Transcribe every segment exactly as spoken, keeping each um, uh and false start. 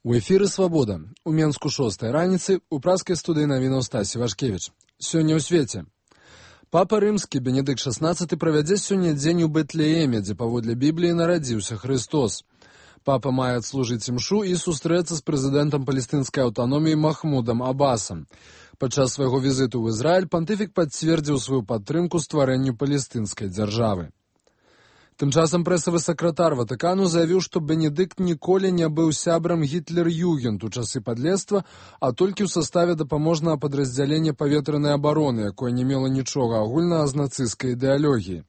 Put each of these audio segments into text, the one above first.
У эфіры «Свабода». У Менску шостай раніцы, у праскай студыі навінаў Стасі Вашкевіч. Сёння ў свеце. Папа Рымскі Бенедыкт шаснаццаты правядзе сёння дзень у Бэтлееме, дзе паводле Бібліі нарадзіўся Христос. Папа мае адслужыць імшу і сустрэцца з прэзідэнтам палестынскай аўтаноміі Махмудам Абасам. Падчас свайго візіту ў Ізраіль пантыфік пацвердзіў сваю падтрымку стварэнню палестынскай дзяржавы. Тым часам прэсавы сакратар Ватыкану заявіў, што Бенедыкт ніколі не быў сябрам Гітлер-Югент у часы падлецтва, а толькі ў саставе дапаможнага падраздзялення паветранай абароны, якое не мела нічога агульнага з нацысцкай ідэалогіяй.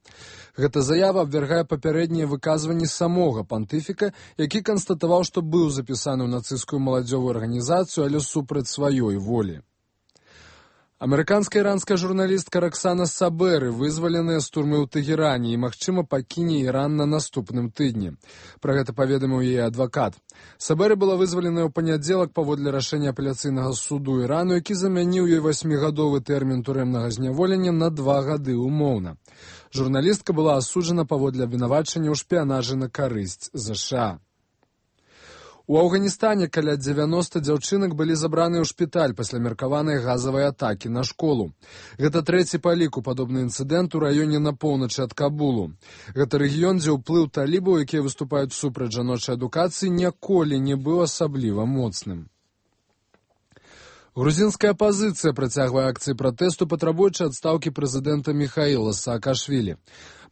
Гэта заява абвяргае папярэднія выказванні самога пантыфіка, які канстатаваў, што быў запісаны ў нацысцкую маладзёвую арганізацыю, але супраць сваёй волі. Амерыканская іранская журналістка Роксана Сабэры вызваленая з турмы ў Тэгеране і, магчыма, пакіне Іран на наступным тыдні. Пра гэта паведаміў яе адвакат. Сабэры была вызваленая ў панядзелак паводле рашэння апеляцыйнага суду Ірану, які замяніў ёй васьмігадовы тэрмін турэмнага зняволення на два гады умоўна. Журналістка была асуджана паводле абвінавачання ў шпіянажы на карысць ЗША. У Афганістане каля дзевяноста дзяўчынак былі забраныя ў шпіталь пасля меркаванай газавай атакі на школу. Гэта трэці па ліку падобны інцыдэнт у раёне на поўначы ад Кабулу. Гэта рэгіён, дзе ўплыў талібаў, якія выступаюць супраць жаночай адукацыі, ніколі не быў асабліва моцным. Грузінская апазіцыя працягвае акцыі пратэсту, патрабуючы адстаўкі прэзідэнта Міхаіла Саакашвілі.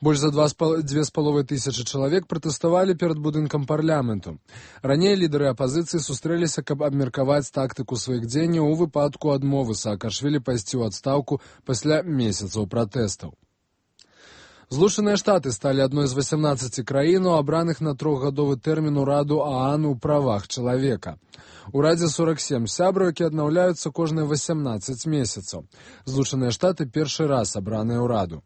Больш за дзве з паловай тысячы чалавек пратэставалі перад будынкам парламенту. Раней лідары апазіцыі сустрэліся, каб абмеркаваць тактыку сваіх дзеянняў у выпадку адмовы Саакашвілі пайсці ў адстаўку пасля месяцаў пратэстаў. Злучаныя Штаты сталі адной з васямнаццаці краін, абраных на трохгадовы тэрмін у Раду ААН у правах чалавека. У Радзе сорак сем сябраў, які аднаўляюцца кожныя васямнаццаць месяцаў. Злучаныя Штаты першы раз абраныя ў Раду.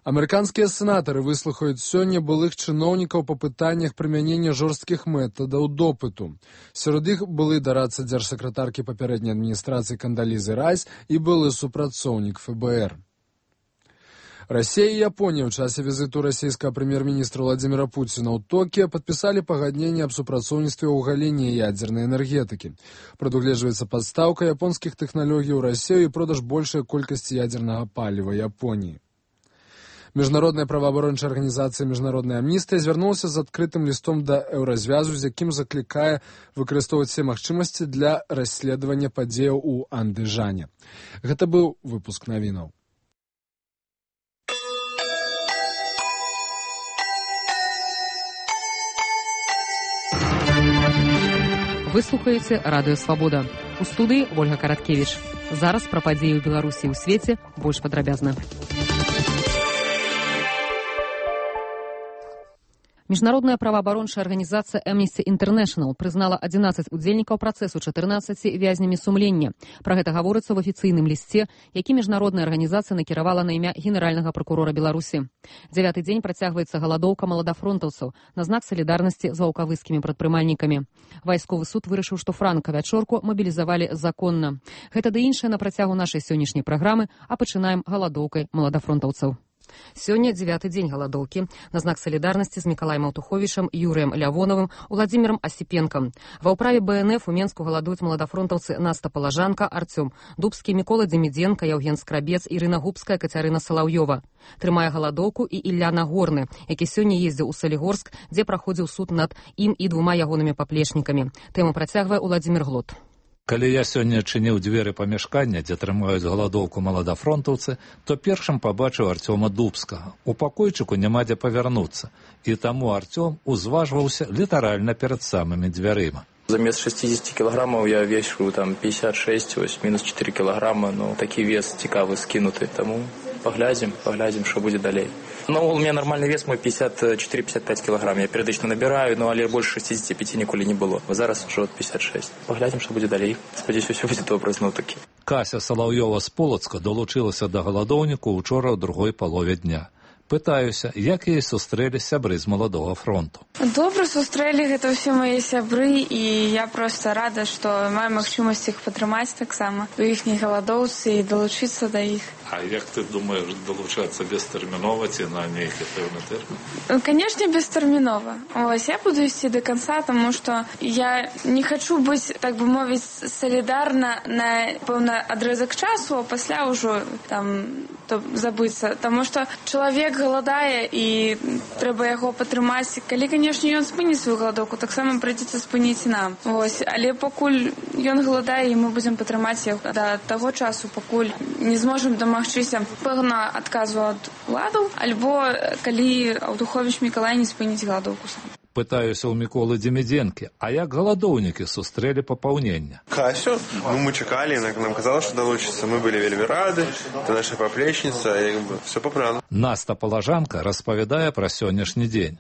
Амерыканскія сенатары выслухаюць сёння былых чыноўнікаў па пытаннях прымянення жорсткіх метадаў допыту. Сярод іх былы дарадца дзяржсакратаркі папярэдняй адміністрацыі Кандалізы Райс і былы супрацоўнік ФБР. Расія і Японія ў часе візіту расійскага прэм'ер-міністра Владзіміра Пуціна ў Токіа падпісалі пагадненне аб супрацоўніцтве ў галіне ядзернай энергетыкі. Прадугледжваецца пастаўка японскіх тэхналогій у Расію і продаж большай колькасці ядзернага паліва Японіі. Міжнародная праваабарончая арганізацыя «Міжнародная амністыя» звярнулася з адкрытым лістом да Еўразвязу, з якім заклікае выкарыстоўваць все магчымасці для расследавання падзеяў у Андыжане. Гэта быў выпуск навінаў. Вы слухаеце радыё «Свабода». У студыі Ольга Караткевіч. Зараз пра падзеі ў Беларусі і ў свеце больш падрабязна. Міжнародная праваабарончая арганізацыя Amnesty International прызнала адзінаццаць удзельнікаў працэсу чатырнаццаці вязнямі сумлення. Пра гэта гаворыцца ў афіцыйным лісце, які міжнародная арганізацыя накіравала на імя генеральнага пракурора Беларусі. Дзявяты дзень працягваецца галадоўка маладафронтаўцаў на знак салідарнасці з ваўкавыскімі прадпрымальнікамі. Вайсковы суд вырашыў, што франка-вячорку мабілізавалі законна. Гэта ды іншае на працягу нашай сённяшняй праграмы, а пачынаем галадоўкай маладафронтаўцаў. Сёння дзявяты дзень галадоўкі на знак салідарнасці з Мікалаем Аўтуховічам, Юрыем Лявоновым, Уладзімірам Асіпенкам. Ва ўправе БНФ у Менску галадуюць маладафронтаўцы Наста Палажанка, Арцём Дубскі, Мікола Дземідзенка, Яўген Скрабец, Ірына Губская, Кацярына Салаўёва. Трымае галадоўку і Ілля Нагорны, які сёння ездзіў у Салігорск, дзе праходзіў суд над ім і двума ягонымі паплечнікамі. Тэму працягвае Уладзімір Глот. Калі я сёння чыніў дзверы памяшкання, дзе трымаюць галадоўку маладафронтаўцы, то першым пабачыў Арцёма Дубскага. У пакойчыку няма дзе павярнуцца, і таму Арцём узважваўся літаральна перад самымі дзвярыма. Замест шестьдесят килограммов я вешу там пятьдесят шесть, ось минус четыре килограмма, но такі вес цікавы скінуты, таму паглядзім, паглядзім, што будзе далей. Ну, у меня нормальный вес мой пятьдесят четыре — пятьдесят пять килограмм. Я перыядычна набираю, но але больше шестидесяти пяти ніколі не было. Зараз уже пятьдесят шесть. Паглядзім, што будзе далей. Спадзяюся, ўсё будзе добра зноў-такі. Кася Салаўёва з Полацка долучылася да галадоўніку ўчора ў другой палове дня. Пытаюся, як яе сустрэлі сябры з маладога фронту. Добра сустрэлі, гэта ўсе мае сябры, і я проста рада, што маю магчымасць іх падтрымаць таксама у іхняй галадоўцы і далучыцца да іх. А як ты думаеш далучацца бестэрмінова ці на нейкі пэўны тэрмін? Канешне, бестэрмінова. Вось я буду ісці да канца, таму што я не хачу быць, так бы мовіць, салідарна на пэўны адрэзак часу, а пасля ўжо там то забыцца. Таму што чалавек галадае і трэба яго падтрымаць. Калі, канешне, ён спыніць сваю галадоўку, таксама прыйдзецца спыніць нам. Вось. Але пакуль ён галадае, і мы будзем падтрымаць яго да таго часу, пакуль не зможам дамагчыся пэўна адказу ад уладаў, альбо калі Аўтуховіч Мікалай не спыніць галадоўку сам. Пытаюся ў Міколы Демідзенкі, а як галадоўнікі сустрэлі папаўнення? Касю? Ну, мы чакалі, нам казала, што далучыцца. Мы былі вельмі рады, это наша паплечніца, як бы, все па плану. Наста Палажанка распавядае пра сённяшні дзень.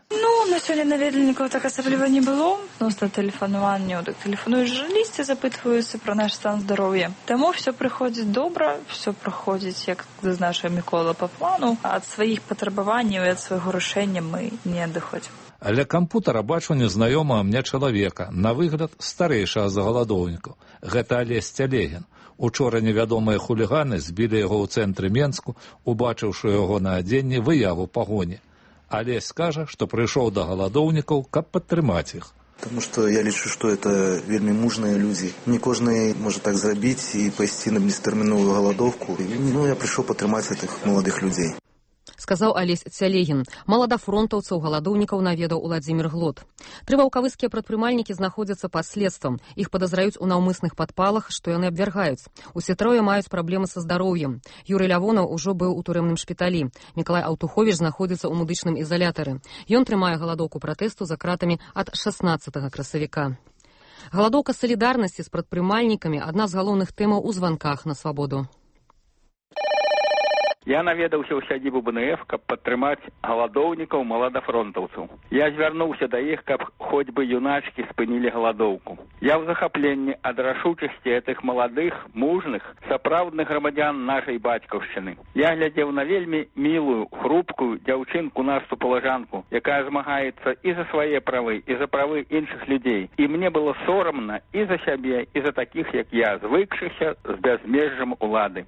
На сёння наведвальнікаў так асабліва не было. Носта тэлефанаванняў, так тэлефануюць журналісты, запытваюцца пра наш стан здароўя. Таму все прыходзіць добра, все праходзіць, як зазначыў Мікола, па плану. Ад сваіх патрабаванняў і ад свайго рашэння мы не адыходзім. Ля кампутара бачу незнаёмага мне чалавека, на выгляд старэйшага за галадоўнікаў. Гэта Алесь Цялегін. Учора невядомыя хуліганы збілі яго ў цэнтры Менску, убачыўшы яго на адзенні выяву пагоні. Алесь скажа, што прыйшоў да галадоўнікаў, каб падтрымаць іх. Потому что я лічу, что это вельмі мужныя людзі. Не кожны можа так зрабіць і пайсці на бестэрміновую галадоўку. Ну, я прыйшоў падтрымаць гэтых маладых людзей. Сказаў Алесь Цялегін. Маладафронтаўцаў галадоўнікаў наведаў Уладзімір Глот. Тры ваўкавыскія прадпрымальнікі знаходзяцца пад следствам. Іх падазраюць у наўмысных падпалах, што яны абвяргаюць. Усе трое маюць праблемы са здароўем. Юрый Лявонаў ужо быў у турэмным шпіталі. Мікалай Аўтуховіч знаходзіцца ў медычным ізалятары. Ён трымае галадоўку пратэсту за кратамі ад шаснаццатага красавіка. Галадоўка салідарнасці з прадпрымальнікамі – адна з галоўных тэмаў у званках на свабоду. Я наведаўся ў сядзібу бэ эн эф, каб падтрымаць галадоўнікаў маладафронтаўцаў. Я звярнуўся да іх, каб хоць бы юначкі спынілі галадоўку. Я ў захапленні ад рашучасці гэтых маладых, мужных, сапраўдных грамадзян нашай бацькаўшчыны. Я глядзеў на вельмі мілую, хрупкую дзяўчынку Насту Палажанку, якая змагаецца і за свае правы, і за правы іншых людзей. І мне было сорамна і за сябе, і за такіх, як я, звыкшыся з бязмежжам улады.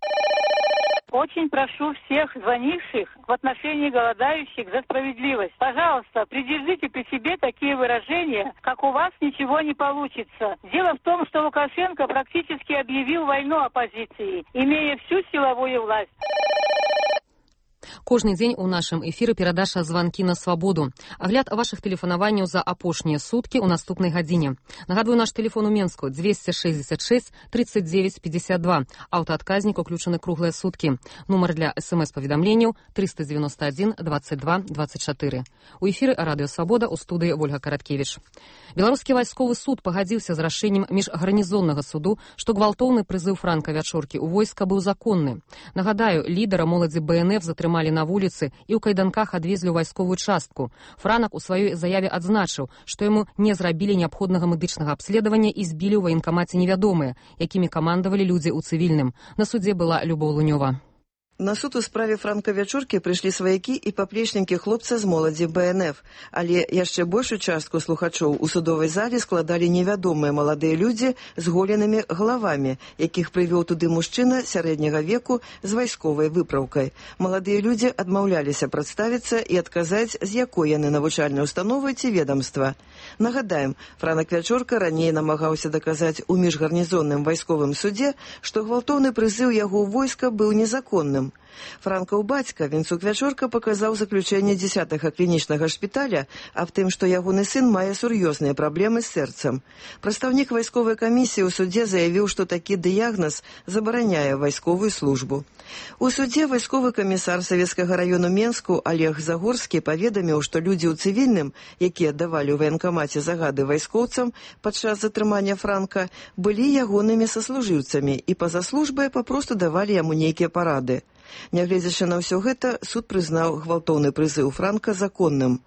Очень прошу всех звонивших в отношении голодающих за справедливость. Пожалуйста, придержите при себе такие выражения, как «у вас ничего не получится». Дело в том, что Лукашенко практически объявил войну оппозиции, имея всю силовую власть. Кожны дзень у нашым эфіры перадача «Званкі на свабоду». Агляд вашых тэлефанаванняў за апошнія суткі ў наступнай гадзіне. Нагадваю, наш тэлефон у Менску двести шестьдесят шесть тридцать девять пятьдесят два. Аўтаадказнік уключаны круглыя суткі. Нумар для эс-эм-эс-паведамленняў триста девяносто один двадцать два двадцать четыре. У эфіры Радыё Свабода, у студыі Ольга Караткевіч. Беларускі вайсковы суд пагадзіўся з рашэннем міжгарнізоннага суду, што гвалтоўны прызыў Франка Вячоркі ў войска быў законны. Нагадаю, лідара моладзі бэ эн эф затрымалі на вуліцы і ў кайданках адвезлі ў вайсковую частку. Франак у сваёй заяве адзначыў, што яму не зрабілі неабходнага медычнага абследавання і збілі ў ваенкамаце невядомыя, якімі камандавалі людзі ў цывільным. На судзе была Любоў Лунёва. На суд у справе Франка Вячоркі прыйшлі сваякі і паплечнікі хлопца з моладзі бэ эн эф, але яшчэ большую частку слухачоў у судовай зале складалі невядомыя маладыя людзі з голенымі галавамі, якіх прывёў туды мужчына сярэдняга веку з вайсковай выпраўкай. Маладыя людзі адмаўляліся прадставіцца і адказаць, з якой яны навучальнай установы ці ведамства. Нагадаем, Франак Вячорка раней намагаўся даказаць у міжгарнізонным вайсковым судзе, што гвалтоўны прызыў яго ў войска быў незаконным. Франкаў бацька Вінцук Вячорка паказаў заключэнне дзесятага клінічнага шпіталя аб тым, што ягоны сын мае сур'ёзныя праблемы з сэрцам. Прадстаўнік вайсковай камісіі ў судзе заявіў, што такі дыягназ забараняе вайсковую службу. У судзе вайсковы камісар Савецкага раёну Менску Олег Загорскі паведаміў, што людзі ў цывільным, якія давалі ў ваенкамаце загады вайскоўцам падчас затрымання Франка, былі ягонымі саслужыўцамі і па-за службай папросту давалі яму нейкія парады. Нягледзячы на ўсё гэта, суд прызнаў гвалтоўны прызыў Франка законным.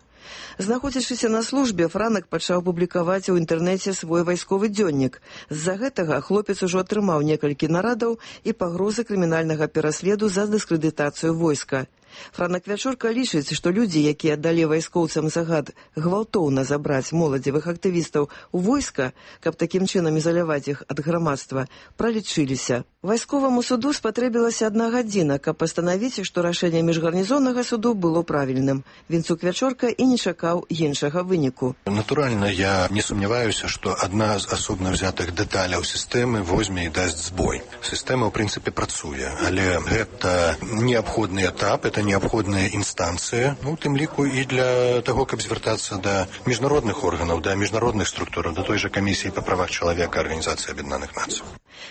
Знаходзячыся на службе, Франак пачаў публікаваць у інтэрнэце свой вайсковы дзённік. З-за гэтага хлопец ужо атрымаў некалькі нарадаў і пагрозы крымінальнага пераследу за дыскрэдытацыю войска. Франак Вячурка лічыць, што людзі, якія далі вайскоўцам загад гвалтоўна забраць моладзевых актывістаў у войска, каб такім чынам ізаляваць іх ад грамадства, пралічыліся. Вайсковаму суду спатрэбілася адна гадзіна, каб пастанавіць, што рашэнне міжгарнізоннага суду было правільным. Вінцук Вячорка і не чакаў іншага выніку. Натуральна, я не сумняваюся, што адна з асобна взятых дэталяў сістэмы возьме і дасць збой. Сістэма, ў прынцыпе, працуе, але гэта неабходны этап, это неабходная інстанцыя, ну, у тым ліку і для таго, каб звяртацца да міжнародных органаў, да міжнародных структураў, да той жа камісіі па правах чалавека Арганізацыі Аб'яднаных Нацый.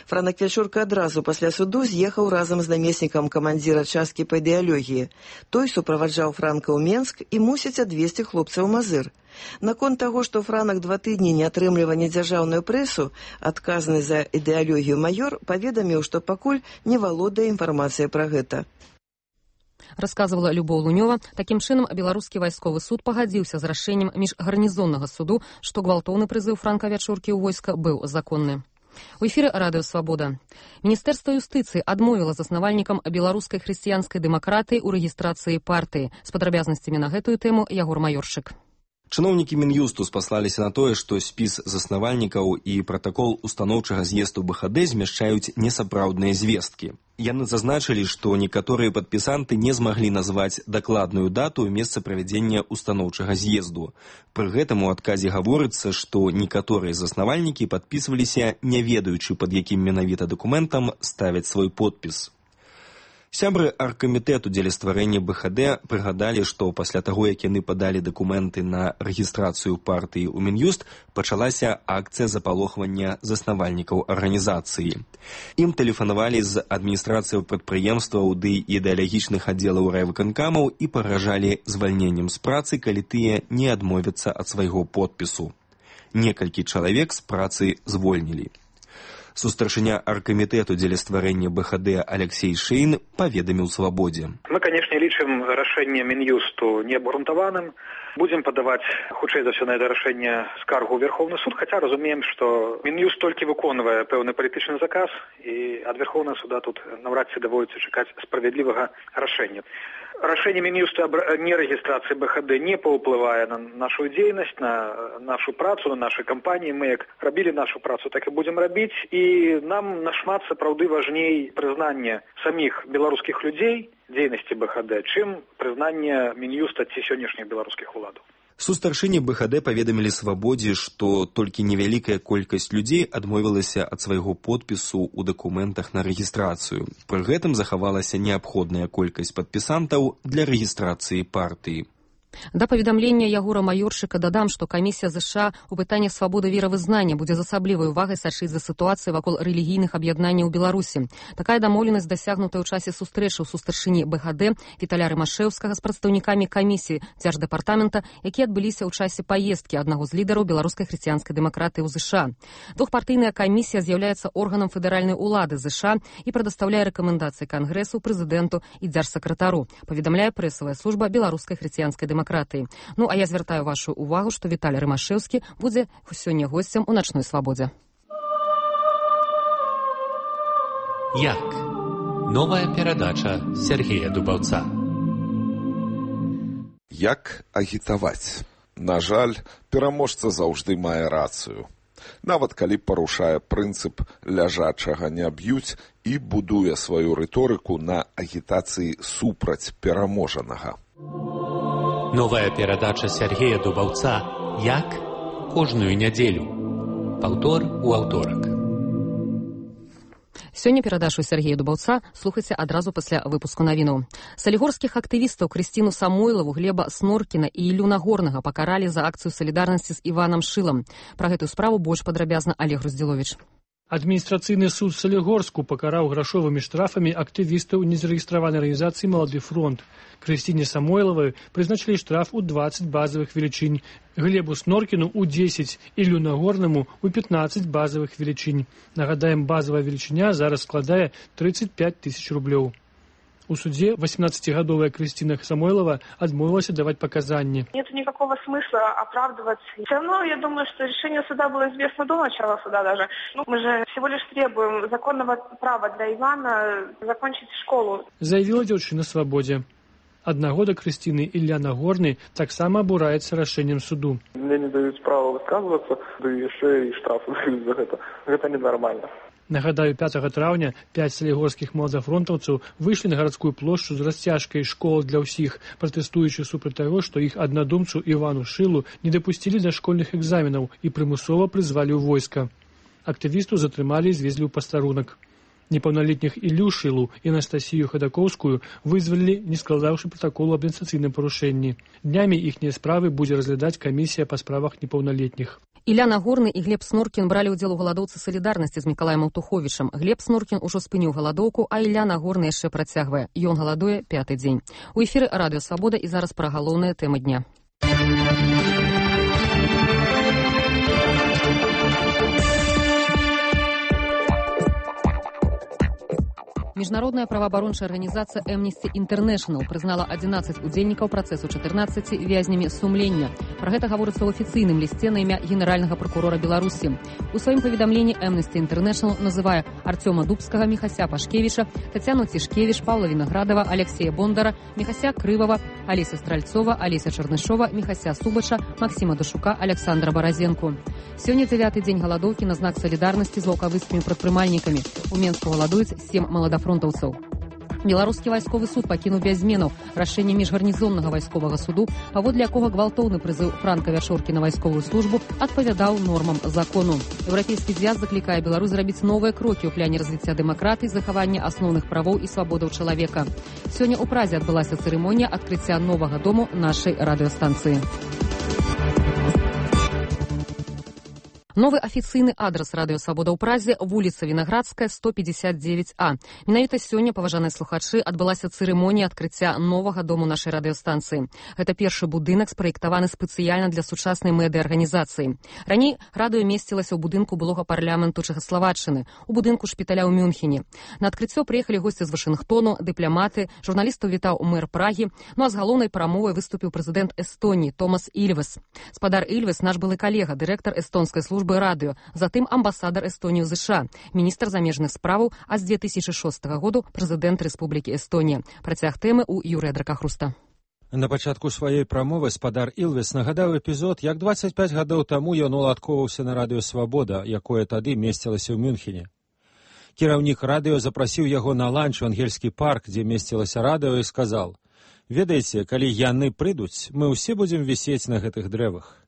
Франак Вячурка адразу пасля суду з'ехаў разам з намеснікам камандзіра часткі па ідэалогіі. Той суправаджаў Франка ў Менск і мусіць адвесці хлопца ў Мазыр. Наконт таго, што Франак два тыдні не атрымлівае недзяржаўную прэсу, адказны за ідэалогію маёр паведаміў, што пакуль не валодае інфармацыяй пра гэта. Расказвала Любоў Лунёва. Такім чынам, беларускі вайсковы суд пагадзіўся з рашэннем міжгарнізоннага суду, што гвалтоўны прызыў Франка Вячуркі ў войска быў законны. У эфіры радыё «Свабода». Міністэрства юстыцыі адмовіла заснавальнікам беларускай хрысціянскай дэмакратыі ў рэгістрацыі партыі. З падрабязнасцямі на гэтую тэму Ягор Маёршык. Чыноўнікі Мін'юсту спаслаліся на тое, што спіс заснавальнікаў і пратакол устаноўчага з'езду БХД змяшчаюць несапраўдныя звесткі. Яны зазначылі, што некаторыя падпісанты не змаглі назваць дакладную дату і месца правядзення устаноўчага з'езду. Пры гэтым у адказе гаворыцца, што некаторыя заснавальнікі падпісваліся, не ведаючы, пад якім менавіта дакументам ставяць свой подпіс. Сябры аргкамітэту дзеля стварэння БХД прыгадалі, што пасля таго, як яны падалі дакументы на рэгістрацыю партыі ў Мін'юст, пачалася акцыя запалохвання заснавальнікаў арганізацыі. Ім тэлефанавалі з адміністрацыяў прадпрыемстваў ды ідэалагічных аддзелаў райвыканкамаў і пагражалі звальненнем з працы, калі тыя не адмовяцца ад свайго подпісу. Некалькі чалавек з працы звольнілі. Сустаршыня аргкамітэту дзеля стварэння БХД Алексей Шейн паведаміў «Свабодзе». Мы, конечно, лічым рашэнне Мін'юсту неабгрунтаваным. Будзем падаваць, хутчэй за ўсё, на гэта рашэнне скаргу ў Верховны суд, хаця разумеем, што Мін'юст толькі выконвае пэўны палітычны заказ, і ад Верховнага суда тут наўрад ці даводзіцца чакаць справядлівага рашэння. Рашэнне Мін'юста аб нерэгістрацыі БХД не паўплывае на нашу дзейнасць, на нашу працу, на нашы кампаніі. Мы як рабілі нашу працу, так і будзем рабіць. І нам нашмат сапраўды важней прызнанне саміх беларускіх людзей дзейнасці БХД, чым прызнанне Мін'юста ці сённяшніх беларускіх уладаў. Сустаршыні БХД паведамілі «Свабодзе», што толькі невялікая колькасць людзей адмовілася ад свайго подпісу ў дакументах на рэгістрацыю. Пры гэтым захавалася неабходная колькасць падпісантаў для рэгістрацыі партыі. Да паведамлення Ягора Маёршыка дадам, што камісія ЗША ў пытаннях свабоды веравызнання будзе з асаблівай увагай сачыць за сітуацыяй вакол рэлігійных аб'яднанняў у Беларусі. Такая дамоўленасць дасягнутая ў часе сустрэчы ў сустаршыні БХД Віталя Рымашэўскага з прадстаўнікамі камісіі дзярждэпартамента, якія адбыліся ў часе паездкі аднаго з лідараў беларускай хрысціянскай дэмакратыі ў ЗША. Двухпартыйная камісія з'яўляецца органам федэральнай улады ЗША і прадастаўляе рэкамендацыі кангрэсу, прэзідэнту і дзяржсакратару, паведамляе прэсавая служба беларускай хрысціянскай дэмакратыі. Ну, а я звяртаю вашу увагу, што Віталь Рымашэўскі будзе сёння госцем у начной свабодзе. Як? Новая перадача Сергея Дубаўца. Як агітаваць? На жаль, пераможца заўжды мае рацыю. Нават калі парушае прынцып ляжачага не б'юць і будуе сваю рыторыку на агітацыі супраць пераможанага. Новая перадача Сергея Дубаўца «Як?» кожную нядзелю. Паўтор у аўторак. Сёння перадачу Сергея Дубаўца слухайце адразу пасля выпуску навінаў. Салігорскіх актывістаў Крысціну Самойлаву, Глеба Сноркіна і Ілю Нагорнага пакаралі за акцыю салідарнасці з Іванам Шылам. Пра гэтую справу больш падрабязна Олег Груздзіловіч. Адміністрацыйны суд Салігорску пакараў грашовымі штрафамі актывістаў незарэгістраванай арганізацыі «Малады фронт». Крысціне Самойлавай прызначылі штраф у дваццаць базавых велічынь, Глебу Сноркіну у дзесяць, Ілю Нагорнаму у пятнаццаць базавых велічынь. Нагадаем, базавая велічыня зараз складае тридцать пять тысяч рублёў. У суде восемнадцатигодовая Крысціна Самойлова отмовилась давать показания. Нет никакого смысла оправдываться. Все равно, я думаю, что решение суда было известно до начала суда даже. Ну, мы же всего лишь требуем законного права для Ивана закончить школу. Заявила девушка на свободе. Аднагодак Крысціны Ілля Нагорны таксама абураецца рашэннем суду. Мне не даюць права высказвацца, ды яшчэ і штрафы даюць за гэта. Гэта ненармальна. Нагадаю, пятага траўня пяць салігорскіх маладафронтаўцаў выйшлі на гарадскую плошчу з расцяжкай «Школа для ўсіх», пратэстуючы супраць таго, што іх аднадумцу Івану Шылу не дапусцілі да школьных экзаменаў і прымусова прызвалі ў войска. Актывісту затрымалі і звезлі ў пастарунак. Непаўналетніх Іллю Шылу і Анастасію Хадакоўскую вызвалілі, не складаўшы пратаколу аб адміністрацыйным парушэнні. Днямі іхнія справы будзе разглядаць камісія па справах непаўналетніх. Ілля Нагорны і Глеб Снуркін бралі ўдзел у галадоўцы салідарнасці з Мікалаем Аўтуховічам. Глеб Снуркін ужо спыніў галадоўку, а Ілля Нагорны яшчэ працягвае. Ён галадуе пяты дзень. У эфіры Радыё Свабода і зараз пра галоўныя тэмы дня. Міжнародная праваабарончая арганізацыя Amnesty International прызнала адзінаццаць удзельнікаў працэсу чатырнаццаці вязнямі сумлення. Пра гэта гаворыцца ў афіцыйным лісце на імя генеральнага пракурора Беларусі. У сваім паведамленні Amnesty International называе Артёма Дубскага, Міхася Пашкевіча, Тацяну Цішкевіч, Павла Вінаградова, Алексея Бондара, Міхася Крывава, Алеся Стральцова, Алеся Чарнышова, Міхася Субача, Максіма Дашука, Александра Баразенку. Сёння дзявяты дзень галадоўкі на знак салідарнасці з ваўкавыцкімі прадпрымальнікамі. У Менску галадуюць сем маладафронтаўцаў. Беларускі вайсковы суд пакінуў без зменаў рашэнне міжгарнізоннага вайсковага суду, паводле якога гвалтоўны прызыў Франка Вячоркі на вайсковую службу адпавядаў нормам закону. Еўрапейскі звяз заклікае Беларусь зрабіць новыя крокі ў пляне развіцця дэмакратыі, захавання асноўных правоў і свабодаў чалавека. Сёння ў Празе адбылася цырымонія адкрыцця новага дому нашай радыёстанцыі. Новы афіцыйны адрас Радыё Свабода ў Празе – вуліца Вінаградская, сто пятьдесят девять А. Менавіта сёння, паважаныя слухачы, адбылася цырымонія адкрыцця новага дому нашай радыёстанцыі. Гэта першы будынак, спраектаваны спецыяльна для сучаснай медыа-арганізацыі. Раней радыё месцілася ў будынку былога парламенту Чэхаславаччыны, у будынку шпіталя ў Мюнхене. На адкрыццё прыехалі госці з Вашынгтону, дыпламаты, журналістаў вітаў мэр Прагі, ну а з галоўнай прамовай выступіў прэзідэнт Эстоніі Томас Ільвес. Спадар Ільвес – наш былы калега, дырэктар эстонскай службы радыё, затым амбасадар Эстонії ў ЗША, міністр замежных справаў, а з две тысячи шостага году прэзідэнт Рэспублікі Эстонія. Працяг тэмы ў Юрыя Дракахруста. На пачатку сваёй прамовы спадар Ільвес нагадаў эпізод, як дваццаць пяць гадоў таму ён уладкоўваўся на радыё «Свабода», якое тады месцілася ў Мюнхене. Кіраўнік радыё запрасіў яго на ланч у Ангельскі парк, дзе месцілася радыё, і сказаў: «Ведаеце, калі яны прыйдуць, мы ўсе будзем вісець на гэтых дрэвах».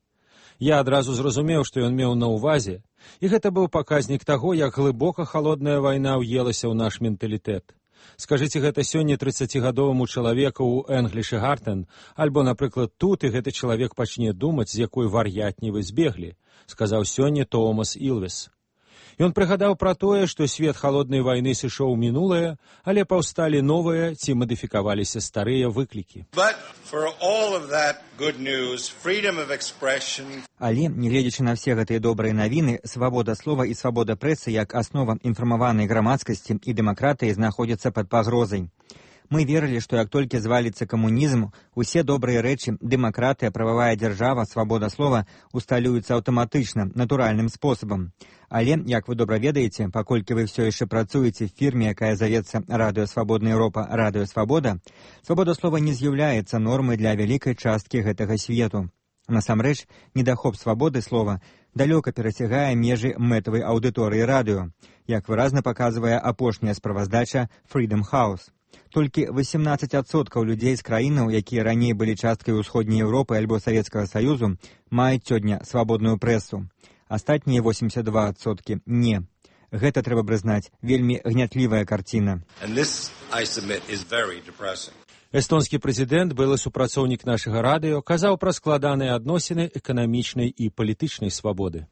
Я адразу зразумеў, што ён меў на ўвазе, і гэта быў паказнік таго, як глыбока халодная вайна ўелася ў наш менталітэт. Скажыце гэта сёння трыццацігадоваму чалавеку ў Энгліш і Гартен, альбо, напрыклад, тут, і гэты чалавек пачне думаць, з якой вар'ятні вы збеглі, сказаў сёння Томас Ільвес. Ён прыгадаў пра тое, што свет халоднай вайны сышоў у мінулае, але паўсталі новыя ці мадыфікаваліся старыя выклікі. Але, нягледзячы на все гэтыя добрыя навіны, свабода слова і свабода прэсы як аснова інфармаванай грамадскасці і дэмакратыі знаходзяцца пад пагрозай. Мы верылі, што як толькі зваліцца камунізм, усе добрыя рэчы, дэмакратыя, прававая дзяржава, свабода слова усталююцца аўтаматычна, натуральным спосабам. Але, як вы добра ведаеце, паколькі вы ўсё яшчэ працуеце в фірме, якая завецца Радыё Свабодная Еўропа, Радыё Свабода, свабода слова не з'яўляецца нормай для вялікай часткі гэтага свету. Насамрэч, недахоп свабоды слова далёка перасягае межы мэтавай аўдыторыі радыё, як выразна паказвае апошняя справаздача Freedom House. Толькі васемнаццаць адсоткаў людзей з краінаў, якія раней былі часткай усходняй Еўропы альбо Савецкага Саюзу, маюць сёння свабодную прэсу. Астатнія восемьдесят два адсоткі не. Гэта, трэба прызнаць, вельмі гнятлівая карціна. Эстонскі прэзідэнт, былы супрацоўнік нашага радыё, казаў пра складаныя адносіны эканамічнай і палітычнай свабоды.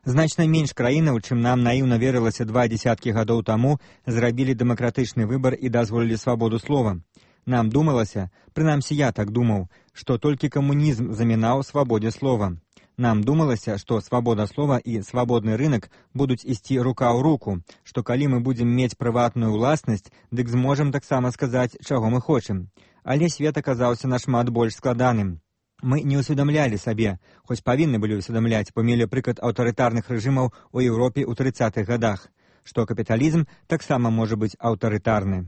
Значна менш краінаў, чым нам наіўна верылася два дзесяткі гадоў таму, зрабілі дэмакратычны выбар і дазволілі свабоду слова. Нам думалася, прынамсі я так думаў, што толькі камунізм замінаў свабодзе слова. Нам думалася, што свабода слова і свабодны рынак будуць ісці рука ў руку, што калі мы будзем мець прыватную ўласнасць, дык зможам таксама сказаць, чаго мы хочам. Але свет аказаўся нашмат больш складаным. Мы не ўсведамлялі сабе, хоць павінны былі ўсведамляць, бо мелі прыклад аўтарытарных рэжымаў у Еўропе ў трыццатых гадах. што капіталізм таксама можа быць аўтарытарны.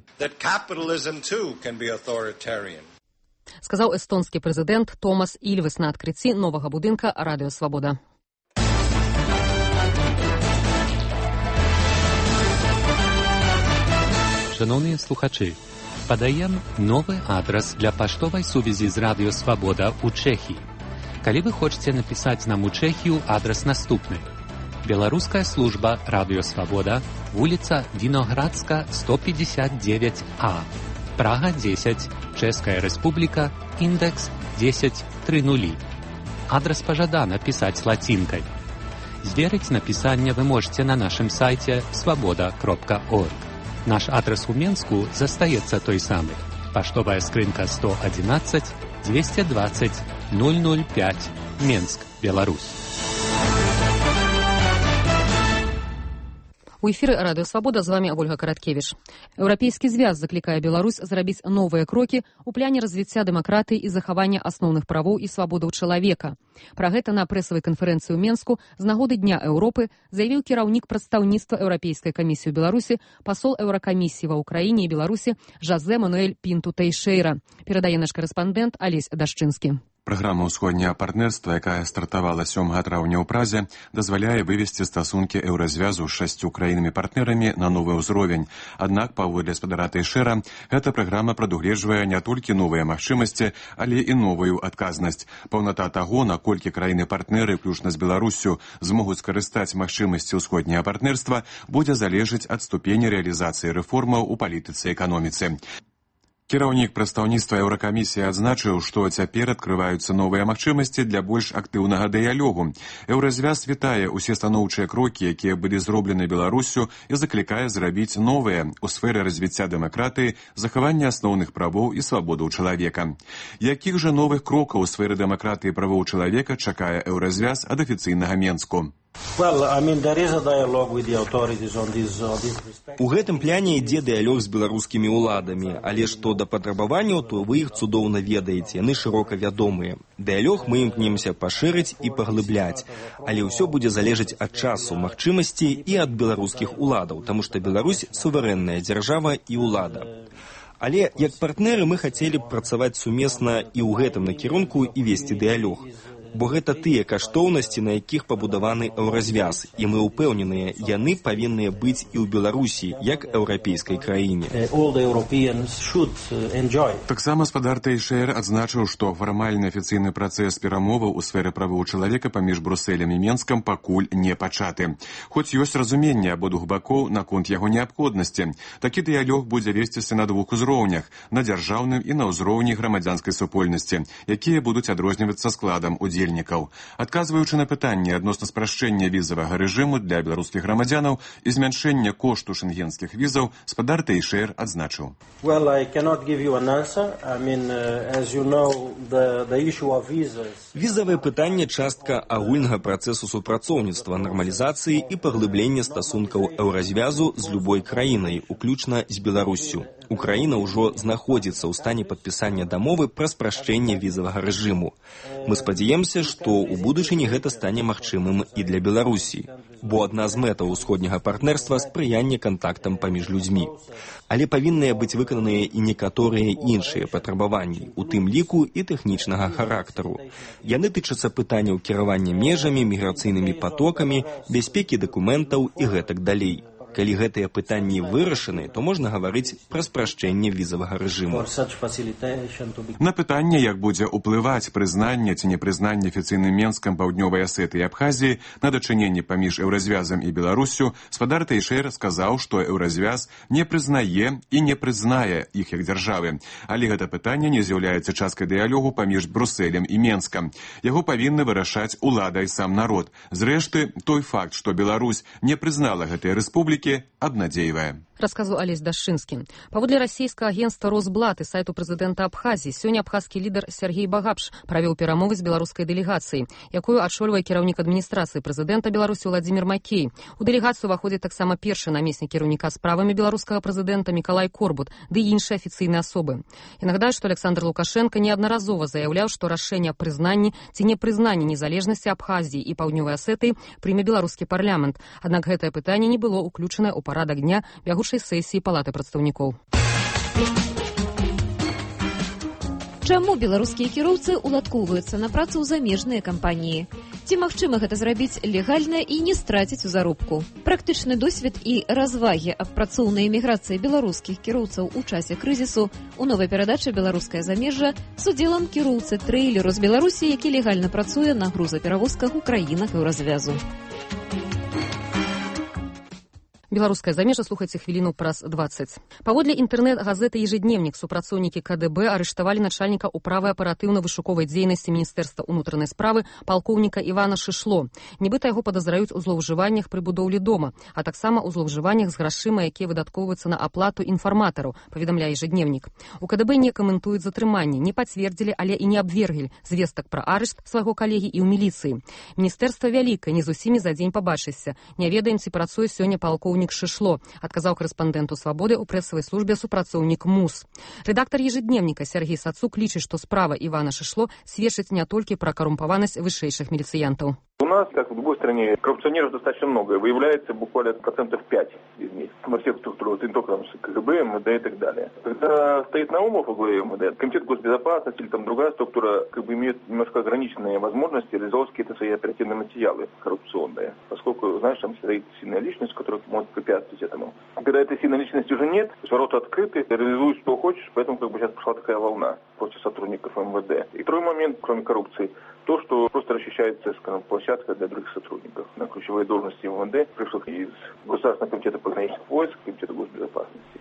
Сказаў эстонскі прэзідэнт Томас Ільвес на адкрыцці новага будынка Радыё Свабода. Шановні слухачі, падаем новы адрас для паштовай сувязі з Радыё Свабода ў Чэхіі. Калі вы хочаце напісаць нам у Чэхію, адрас наступны. Беларуская служба Радыё Свабода, вуліца Віноградска, сто пятьдесят девять А, Прага десять, Чэшская Рэспубліка, індекс десять тридцать. Адрас пажадана пісаць лацінкай. Зверыць напісанне вы можете на нашым сайце свабода кропка орг. Наш адрес у Менску застаецца той самы. Паштовая скрынка сто одиннадцать двести двадцать ноль ноль пять, Менск, Беларусь. У эфіры Радыё Свабода з вами Ольга Караткевіч. Еўрапейскі звяз заклікае Беларусь зрабіць новыя крокі ў пляне развіцця дэмакратыі і захавання асноўных правоў і свабодаў чалавека. Пра гэта на прэсавай канферэнцыі ў Менску з нагоды Дня Еўропы заявіў кіраўнік прадстаўніцтва Еўрапейскай камісіі ў Беларусі, пасол Еўракамісіі ва Ўкраіне і Беларусі Жозе Мануэль Пінту Тэйшэйра. Перадае наш карэспандэнт Алесь Дашчынскі. Праграма ўсходняга партнерства, якая стартавала сёмага траўня ў Празе, дазваляе вывесці стасункі еўразвязу з шасцю краінамі-партнерамі на новы ўзровень. Аднак, паводле спадара Тэйшэйра, гэта праграма прадугледжвае не толькі новыя магчымасці, але і новую адказнасць. Паўната таго, наколькі краіны-партнеры, включна з Беларуссю, змогуць скарыстаць магчымасці ўсходняга партнерства, будзе залежаць ад ступені рэалізацыі рэформаў у палітыцы і эканоміцы. Кіраўнік прадстаўніцтва Еўракамісіі адзначыў, што цяпер адкрываюцца новыя магчымасці для больш актыўнага дыялогу. Еўразвяз вітае ўсе станоўчыя крокі, якія былі зроблены Беларуссю, і заклікае зрабіць новыя ў сферы развіцця дэмакратыі, захавання асноўных правоў і свабодаў чалавека. Якіх жа новых крокаў у сферы дэмакратыі і правоў чалавека чакае еўразвяз ад афіцыйнага Менску? Well, I mean, there is a dialogue with the authorities on this, on this respect. У гэтым пляне ідзе дыялог з беларускімі ўладамі, але што да патрабаванняў, то вы іх цудоўна ведаеце, яны шырока вядомыя. Дыялог мы імкнемся пашырыць і паглыбляць, але ўсё будзе залежаць ад часу, магчымасці і ад беларускіх уладаў, таму што Беларусь суверэнная дзяржава і ўлада. Але як партнеры мы хацелі б працаваць сумесна і ў гэтым накірунку і весці дыялог. Бо гэта тыя каштоўнасці, на якіх пабудаваны еўразвяз, і мы ўпэўненыя, яны павінныя быць і ў Беларусі, як еўрапейскай краіне. Таксама спадар Тэйшэйр адзначыў, што фармальны афіцыйны працэс перамоваў у сферы правоў чалавека паміж Брусэлем і Менскам пакуль не пачаты. Хоць ёсць разуменне абодвух бакоў наконт яго неабходнасці. Такі дыялог будзе весціся на двух узроўнях, на дзяржаўным і на ўзроўні грамадзянскай супольнасці, якія будуць адрознівацца складам удзельнікаў. Адказваючы на пытанне адносна спрашчэння візавага рэжыму для беларускіх грамадзянаў і змяншэння кошту шэнгенскіх візаў, спадар Тэйшэйр адзначыў. Well, I cannot give you an answer. I mean, uh, as you know, the, the issue of visas... Візавае пытанне частка агульнага працэсу супрацоўніцтва, нармалізацыі і паглыблення стасункаў еўразвязу з любой краінай, уключна з Беларуссю. Украіна ўжо знаходзіцца ў стане падпісання дамовы пра спрашчэнне візавага рэжыму. Мы спадзяемся, што ў будучыні гэта стане магчымым і для Беларусі, бо адна з мэтаў усходняга партнерства – спрыянне кантактам паміж людзьмі. Але павінныя быць выкананыя і некаторыя іншыя патрабаванні, у тым ліку і тэхнічнага характару. Яны тычацца пытанняў кіравання межамі, міграцыйнымі патокамі, бяспекі дакументаў і гэтак далей. Калі гэтыя пытанні вырашаны, то можна гаварыць пра спрашчэнне візавага рэжыму. На пытанне, як будзе ўплываць прызнанне ці непрызнанне афіцыйным Менскам Паўднёвай Асетыі і Абхазіі на дачыненне паміж еўразвязам і Беларуссю, спадар Тэйшэйр сказаў, што еўразвяз не прызнае і не прызнае іх як дзяржавы. Але гэта пытанне не з'яўляецца часткай дыялогу паміж Брусэлем і Менскам. Яго павінны вырашаць улада і сам народ. Зрэшты, той факт, што Беларусь не прызнала гэтыя рэспублікі, обнадеивая. Расказваў Алесь Дашчынскі. Паводле расійскага агенцтва «Росблат» і сайту прэзідэнта Абхазіі, сёння абхазскі лідар Сергей Багапш правёў перамовы з беларускай дэлегацыяй, якую адшольвае кіраўнік адміністрацыі прэзідэнта Беларусі Владзімір Макей. У дэлегацыю ўваходзіць таксама першы намеснік кіраўніка справамі беларускага прэзідэнта Мікалай Корбут, ды і іншыя афіцыйныя асобы. Я нагадаю, што Александр Лукашенко неаднаразова заяўляў, што рашэнне аб прызнанні ці непрызнанні незалежнасці Абхазіі і Паўднёвай Асетыі прыме беларускі парламент. Аднак гэтае пытанне не было ўключанае ў парадак дня бягучай сесіі Палаты прадстаўнікоў. Чаму беларускія кіроўцы уладкоўваюцца на працу ў замежныя кампаніі? Ці магчыма гэта зрабіць легальна і не страціць у заробку? Практычны досвед і развагі аб працоўнай эміграцыі беларускіх кіроўцаў у часе крызісу у новай перадачы «Беларускае замежжа» з удзелам кіроўцы трэйлеру з Беларусі, які легальна працуе на грузаперавозках у краінах еўразвязу. Беларускае замежжа слухайце хвіліну праз дваццаць. Паводле інтэрнэт-газеты «Ежедневнік» супрацоўнікі ка дэ бэ арыштавалі начальніка управы аператыўна-вышуковай дзейнасці Міністэрства ўнутранай справы палкоўніка Івана Шышло. Нібыта яго падазраюць у злоўжываннях пры будоўлі дома, а таксама ў злоўжываннях з грашыма, якія выдаткоўваюцца на аплату інфарматараў, паведамляе «Ежедневнік». У ка дэ бэ не каментуюць затрыманне, не пацвердзілі, але і не абверглі звестак пра арышт свайго калегі і ў міліцыі. Міністэрства вялікае, не з усімі за дзень пабачышся. Не ведаем, ці працуе сёння палкоўнік Шышло, адказаў карэспандэнту «Свабоды» ў прэсавай службе супрацоўнік МУС. Рэдактар «Ежедневніка» Сергей Сацук лічыць, што справа Івана Шышло сведчыць не толькі пра карумпаванасць вышэйшых міліцыянтаў. У нас, как в любой стране, коррупционеров достаточно много. Выявляется буквально процентов пять из них. Во всех структурах, не только ка гэ бэ, эм вэ дэ и так далее. Когда стоит Наумов во главе эм вэ дэ, комитет госбезопасности или там другая структура как бы имеет немножко ограниченные возможности реализовать какие-то свои оперативные материалы коррупционные. Поскольку, знаешь, там стоит сильная личность, которая может препятствовать этому. Когда этой сильной личности уже нет, ворота открыты, реализуй что хочешь, поэтому как бы сейчас пошла такая волна против сотрудников эм вэ дэ. И второй момент, кроме коррупции, то, что просто расчищается, скажем, площадка для других сотрудников. На ключевые должности эм вэ дэ пришел из Государственного комитета пограничных войск, комитета госбезопасности.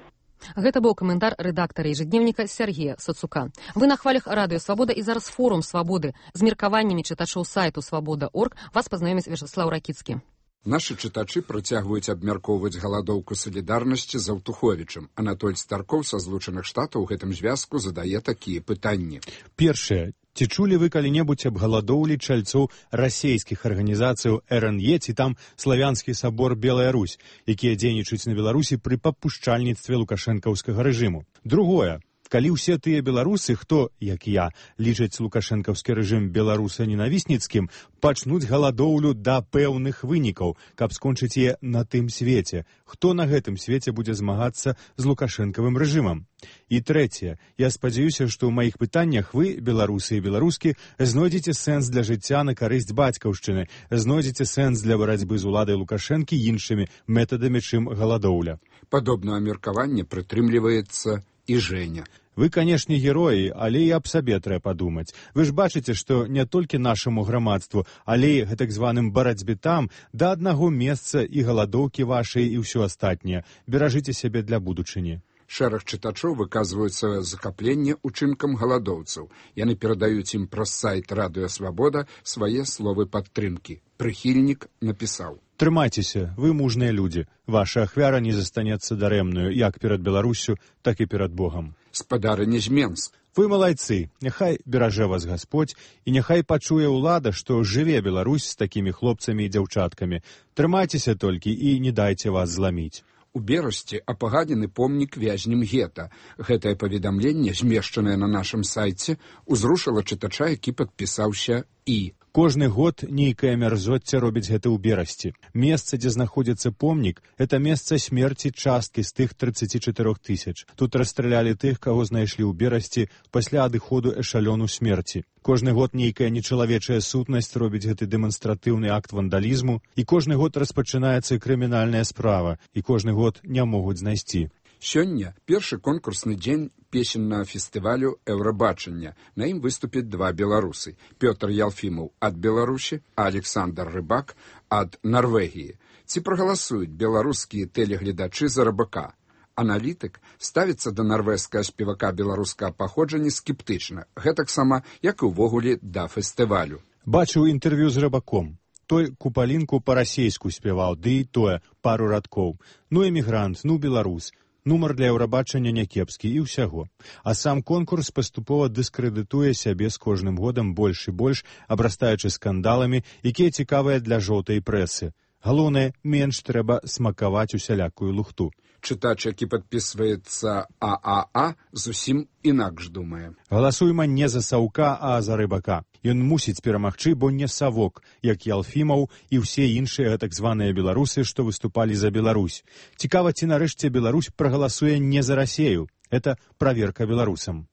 Гэта быў каментар рэдактара «Ежедневніка» Сергея Сацука. Вы на хвалях радыё «Свабода» і зараз форум «Свабоды». З меркаваннямі чытачоў сайту «Свабода точка орг» вас пазнаёміць Вячеслав Ракіцкі. Нашы чытачы працягваюць абмяркоўваць галадоўку салідарнасці з Аўтуховічам. Анатоль Старкоў са Злучаных Штатаў у гэтым звязку задае такія пытанні. Першае. Ці чулі вы калі-небудзь аб галадоўлі чальцоў расейскіх арганізацыяў эр эн е ці там славянскі сабор Белая Русь, якія дзейнічаюць на Беларусі пры папушчальніцтве лукашэнкаўскага рэжыму? Другое. Калі ўсе тыя беларусы, хто, як я, лічаць лукашэнкаўскі рэжым беларуса-ненавісніцкім, пачнуць галадоўлю да пэўных вынікаў, каб скончыць яе на тым свеце, хто на гэтым свеце будзе змагацца з лукашэнкавым рэжымам? І трэцяе. Я спадзяюся, што ў маіх пытаннях вы, беларусы і беларускі, знойдзеце сэнс для жыцця на карысць бацькаўшчыны, знойдзеце сэнс для барацьбы з уладай Лукашэнкі іншымі метадамі, чым галадоўля. Падобнае меркаванне прытрымліваецца і Женя. Вы, канешне, героі, але і аб сабе трэба падумаць. Вы ж бачыце, што не толькі нашаму грамадству, але і гэтак званым барацьбе там да аднаго месца і галадоўкі вашай і ўсё астатняе. Беражыце сябе для будучыні. Шэраг чытачоў выказваюцца захапленне учынкам галадоўцаў. Яны перадаюць ім праз сайт «Радыё Свабода» свае словы падтрымкі. Прыхільнік напісаў: Трымайцеся, вы мужныя людзі. Ваша ахвяра не застанецца дарэмнаю, як перад Беларуссю, так і перад Богам. Спадарыня з Менск. Вы малайцы, няхай беражэ вас Гасподзь, і няхай пачуе ўлада, што жыве Беларусь з такімі хлопцамі і дзяўчаткамі. Трымайцеся толькі і не дайце вас зламіць. У Берасці апагадзены помнік вязням гета. Гэтае паведамленне, змешчанае на нашым сайце, узрушыла чытача, які падпісаўся «І». Кожны год нейкае мярзоцце робіць гэта ў Берасці. Месца, дзе знаходзіцца помнік, это месца смерці часткі з тых трыццаці чатырох тысяч. Тут расстралялі тых, каго знайшлі ў Берасці пасля адыходу эшалёну смерці. Кожны год нейкая нечалавечая сутнасць робіць гэты дэманстратыўны акт вандалізму, і кожны год распачынаецца крымінальная справа, і кожны год не могуць знайсці. Сёння першы конкурсны дзень песеннага фестывалю «Еўрабачання». На ім выступяць два беларусы. Пётр Ялфімаў ад Беларусі, а Александр Рыбак ад Нарвегіі. Ці прагаласуюць беларускія тэлегледачы за Рыбака? Аналітык ставіцца да нарвежскага спевака беларускага паходжання скептычна, гэтаксама, як і ўвогуле да фестывалю. Бачыў інтэрв'ю з Рыбаком. Той купалінку па-расейску спяваў, ды і тое, пару радкоў. Ну эмігрант, ну беларус. Нумар для еўрабачання някепскі і ўсяго. А сам конкурс паступова дыскрэдытуе сябе з кожным годам больш і больш, абрастаючы скандаламі, якія цікавыя для жоўтай прэсы. Галоўнае, менш трэба смакаваць усялякую лухту. Чытач, які падпісваецца А А А, зусім інакш думае. Галасуйма не за Саўка, а за Рыбака. Ён мусіць перамагчы, бо не Савок, як Ялфімаў і ўсе іншыя так званыя беларусы, што выступалі за Беларусь. Цікава, ці нарэшце Беларусь прагаласуе не за Расею. Это праверка беларусам.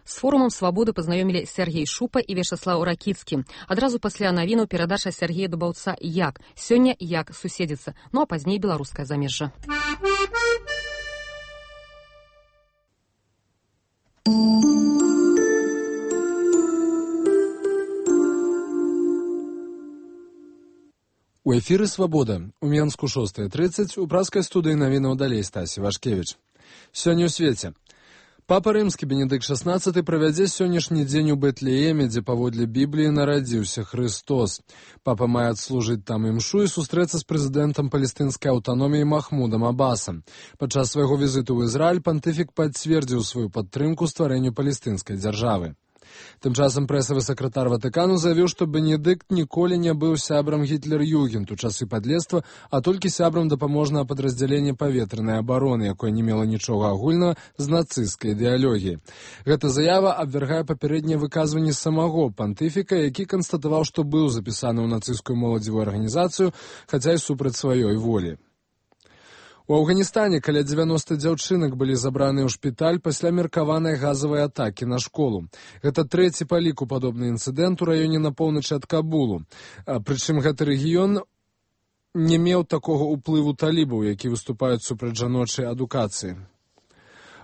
С форумом «Свободы» познаёмілі Сергей Шупа і Вячаслаў Ракіцкі. Адразу пасля навіну перадача Сергея Дубаўца «Як». Сёння «Як» суседзіцца, ну а пазней беларускае замежжа. У эфіры «Свабода». У Менску шостая тридцать, у праскай студыі навінаў далей Стасі Вашкевіч. Сёння ў свеце. Папа Рымскі Бенедыкт шаснаццаты правядзе сённяшні дзень у Бэтлееме, дзе паводле Бібліі нарадзіўся Хрыстос. Папа мае адслужыць там імшу і сустрэцца з прэзідэнтам палестынскай аўтаноміі Махмудам Абасам. Падчас свайго візіту ў Ізраіль пантыфік пацвердзіў сваю падтрымку стварэнню палестынскай дзяржавы. Тым часам прэсавы сакратар Ватыкану заявіў, што Бенедыкт ніколі не быў сябрам Гітлер-Югент у часы падлецтва, а толькі сябрам дапаможнага падраздзялення паветранай абароны, якое не мела нічога агульнага з нацысцкай ідэалогіяй. Гэта заява абвяргае папярэднія выказванні самого пантыфіка, які канстатаваў, што быў запісаны ў нацысцкую моладзевую арганізацыю, хаця і супраць сваёй волі. У Афганістане каля дзевяноста дзяўчынак былі забраныя ў шпіталь пасля меркаванай газавай атакі на школу. Гэта трэці па ліку падобны інцыдэнт у раёне на поўначы ад Кабулу. Прычым гэты рэгіён не меў такога ўплыву талібаў, які выступаюць супраць жаночай адукацыі.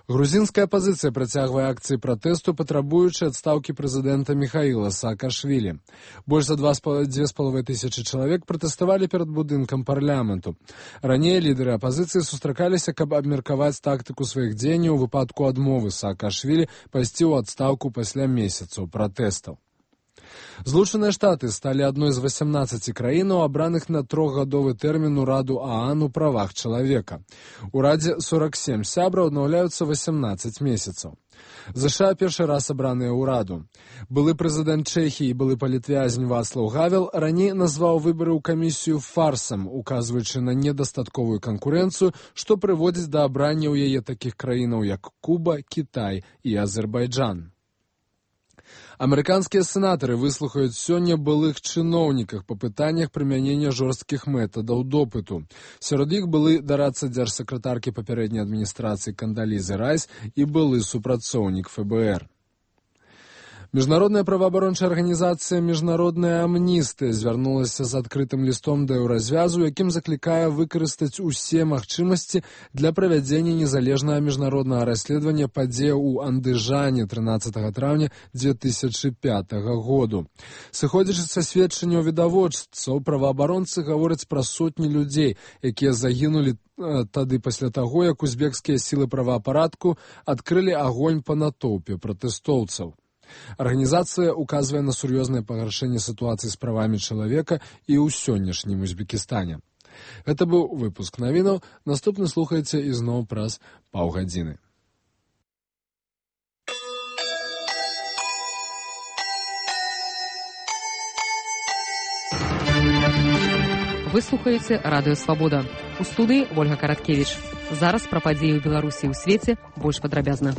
Грузінская апазіцыя працягвае акцыі пратэсту, патрабуючы адстаўкі прэзідэнта Міхаіла Саакашвілі. Больш за дзве з паловай тысячы чалавек пратэставалі перад будынкам парламенту. Раней лідары апазіцыі сустракаліся, каб абмеркаваць тактыку сваіх дзеянняў у выпадку адмовы Саакашвілі пайсці ў адстаўку пасля месяцаў пратэстаў. Злучаныя Штаты сталі адной з васямнаццаці краінаў, абраных на трохгадовы тэрмін у Раду ААН у правах чалавека. У Радзе сорак сем сябраў аднаўляюцца васямнаццаць месяцаў. ЗША першы раз абраныя ў Раду. Былы прэзідэнт Чэхіі і былы палітвязень Вацлаў Гавел раней назваў выбары ў камісію фарсам, указваючы на недастатковую канкурэнцыю, што прыводзіць да абрання ў яе такіх краінаў, як Куба, Кітай і Азербайджан. Амерыканскія сенатары выслухаюць сёння былых чыноўніках па пытаннях прымянення жорсткіх метадаў допыту. Сярод іх былы дарадца дзяржсакратаркі папярэдняй адміністрацыі Кандалізы Райс і былы супрацоўнік эф бэ эр. Міжнародная праваабарончая арганізацыя «Міжнародная амністыя» звярнулася з адкрытым лістом да еўразвязу, якім заклікае выкарыстаць усе магчымасці для правядзення незалежнага міжнароднага расследавання падзеяў у Андыжане трынаццатага траўня дзве тысячы пятага году. Сыходзячы са сведчанняў відавочцаў, праваабаронцы гавораць пра сотні людзей, якія загінулі тады пасля таго, як узбекскія сілы праваапаратку адкрылі агонь па натоўпе пратэстоўцаў. Арганізацыя указвае на сур'ёзнае пагаршэнне сітуацыі з правамі чалавека і ў сённяшнім Узбекістане. Гэта быў выпуск навінаў. Наступны слухаеце ізноў праз паўгадзіны. Вы слухаеце радыё «Свабода». У студыі Ольга Караткевіч. Зараз пра падзеі ў Беларусі і ў свеце больш падрабязна.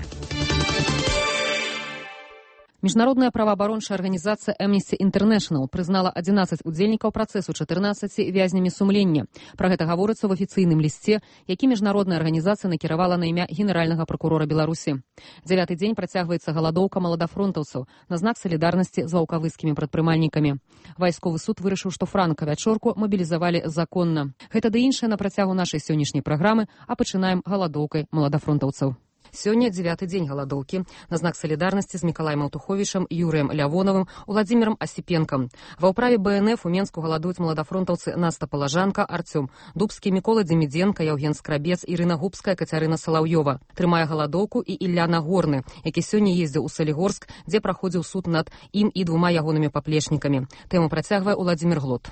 Міжнародная праваабарончая арганізацыя Amnesty International прызнала адзінаццаць удзельнікаў працэсу чатырнаццаці вязнямі сумлення. Пра гэта гаворыцца ў афіцыйным лісце, які міжнародная арганізацыя накіравала на імя генеральнага пракурора Беларусі. Дзявяты дзень працягваецца галадоўка маладафронтаўцаў на знак салідарнасці з ваўкавыскімі прадпрымальнікамі. Вайсковы суд вырашыў, што франка-вячорку мабілізавалі законна. Гэта ды іншае на працягу нашай сённяшняй праграмы, а пачынаем галадоўкай маладафронтаўцаў. Сёння дзявяты дзень галадоўкі на знак салідарнасці з Мікалаем Аўтуховічам, Юрыем Лявонавым, Уладзімірам Асіпенкам. Ва ўправе бэ эн эф у Менску галадуюць маладафронтаўцы Наста Палажанка, Арцём Дубскі, Мікола Дземідзенка, Яўген Скрабец, Ірына Губская, Кацярына Салаўёва. Трымае галадоўку і Ілля Нагорны, які сёння ездзіў у Салігорск, дзе праходзіў суд над ім і двума ягонымі паплечнікамі. Тэму працягвае Уладзімір Глот.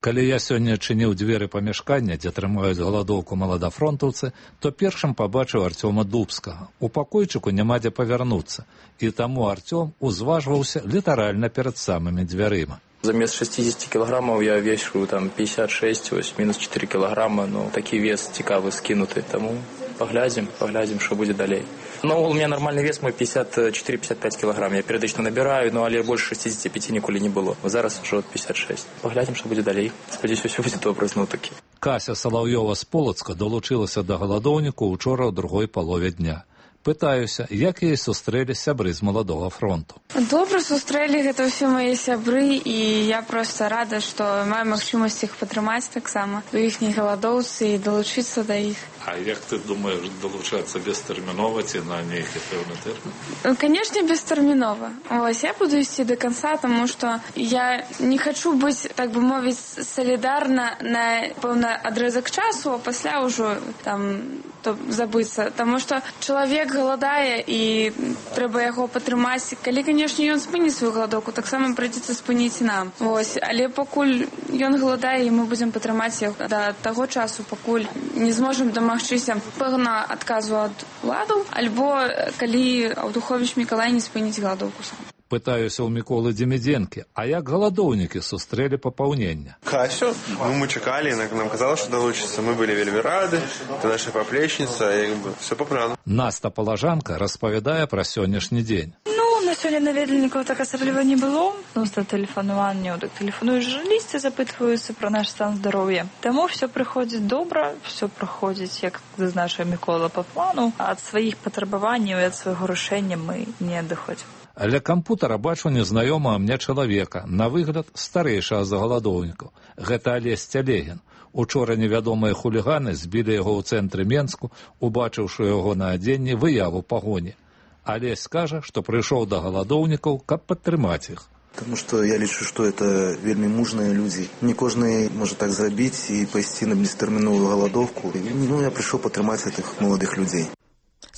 Калі я сёння чыніў дзверы памяшкання, дзе трымаюць галадоўку маладафронтаўцы, то першым пабачыў Арцёма Дубскага. У пакойчыку няма дзе павярнуцца, і таму Арцём узважваўся літаральна перад самымі дзвярыма. Замест шестьдесят килограммов я вешу там пятьдесят шесть, ось минус четыре килограмма, но такі вес цікавы скінуты, таму паглядзім, паглядзім, што будзе далей. Ну, у меня нормальный вес мой пятьдесят четыре — пятьдесят пять килограмм. Я перыядычна набираю, но але больше шестьдесят пять ніколі не было. Зараз уже пятьдесят шесть. Паглядзім, што будзе далей. Спадзяюся, ўсё будзе добра зноў-такі. Кася Салаўёва з Полацка далучылася да галадоўніку ўчора ў другой палове дня. Пытаюся, як яе сустрэлі сябры з маладога фронту. Добра сустрэлі, гэта ўсе мае сябры, і я проста рада, што маю магчымасць іх падтрымаць таксама у іхняй галадоўцы і далучыцца да іх. А як ты думаеш далучацца бестэрмінова ці на нейкі пэўны тэрмін? Канешне, бестэрмінова. Вось, я буду ісці да канца, таму што я не хачу быць, так бы мовіць, салідарна на пэўны адрэзак часу, а пасля ўжо там то забыцца. Таму што чалавек галадае і трэба яго падтрымаць. Калі, канешне, ён спыніць сваю галадоўку, таксама прыйдзецца спыніць нам. Вось, але пакуль ён галадае, і мы будзем падтрымаць яго да таго часу, пакуль не зможам дамагчыся пэўна адказу ад уладаў, альбо калі Аўдуховіч Мікалай не спыніць галадоўку сам. Пытаюся ў Міколы Демідзенкі, а як галадоўнікі сустрэлі папаўнення? Касю, ну, мы чакалі, нам казалось, што далучыцца, мы былі вельмі рады, ты наша паплечніца, як бы, все па плану. Наста Палажанка распавядае пра сённяшні дзень. Ну, на сёння наведвальнікаў так асабліва не было, проста тэлефанаванне, так тэлефануюць журналісты, запытваюцца пра наш стан здароўя. Таму все прыходзіць добра, все праходзіць, як зазначыў Мікола, па плану, а ад сваіх патрабаванняў і ад свайго рашэння мы не адыходзім. Ля кампутара бачу незнаёмага мне чалавека, на выгляд старэйшага за галадоўнікаў. Гэта Алесь Цялегін. Учора невядомыя хуліганы збілі яго ў цэнтры Менску, убачыўшы яго на адзенні выяву пагоні. Алесь скажа, што прыйшоў да галадоўнікаў, каб падтрымаць іх. Потому что я лічу, что это вельмі мужныя людзі. Не кожны можа так зрабіць і пайсці на бестэрміновую галадоўку. Ну, я прыйшоў падтрымаць гэтых маладых людзей.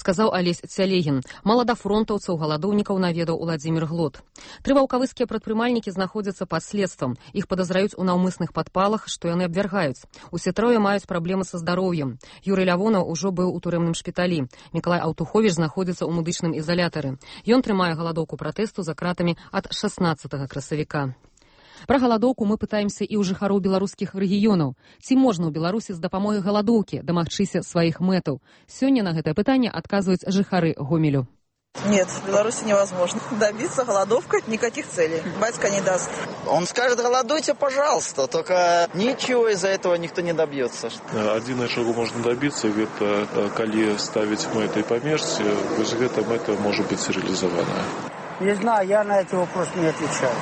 Сказаў Алесь Цялегін. Маладафронтаўцаў галадоўнікаў наведаў Уладзімір Глот. Тры ваўкавыскія прадпрымальнікі знаходзяцца пад следствам. Іх падазраюць у наўмысных падпалах, што яны абвяргаюць. Усе трое маюць праблемы са здароўем. Юрый Лявонаў ужо быў у турэмным шпіталі. Мікалай Аўтуховіч знаходзіцца ў медычным ізалятары. Ён трымае галадоўку пратэсту за кратамі ад шаснаццатага красавіка. Пра галадоўку мы пытаемся і ў жыхароў беларускіх рэгіёнаў. Ці можна ў Беларусі з дапамогай галадоўкі дамагчыся сваіх мэтаў? Сёння на гэтае пытанне адказваюць жыхары Гомелю. Нет, в Беларуси невозможно добиться голодовкой никаких целей. Батька не даст. Он скажет, голодуйте, пожалуйста, только ничего из-за этого никто не добьется. Один чего можно добиться, это коли ставить мэты померці, вось гэта мэта может быть реализована. Не знаю, я на эти вопросы не отвечаю.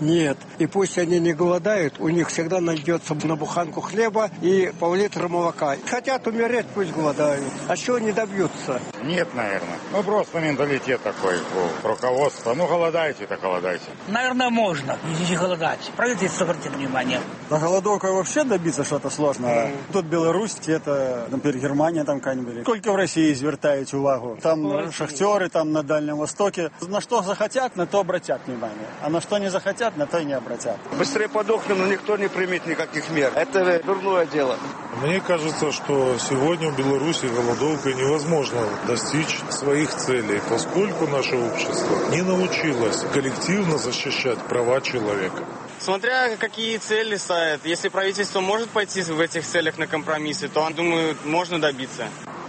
Нет. И пусть они не голодают, у них всегда найдется на буханку хлеба и пол-литра молока. Хотят умереть, пусть голодают. А чего не добьются? Нет, наверное. Ну, просто менталитет такой у руководства. Ну, голодайте, так голодайте. Наверное, можно, если голодать. Правительство обратит внимание. На голодовку вообще добиться что-то сложно. Mm. Тут Беларусь, это, например, Германия там какая-нибудь. Сколько в России звертають увагу? Там Ой, шахтеры, там на Дальнем Востоке. На что захотят, на то обратят внимание. А на что не захотят, на то и не обратят. Быстрее подохнем, но никто не примет никаких мер. Это дурное дело. Мне кажется, что сегодня в Беларуси голодовкой невозможно достичь своих целей, поскольку наше общество не научилось коллективно защищать права человека. Смотря какие цели ставят. Если правительство может пойти в этих целях на компромиссы, то, думаю, можно добиться.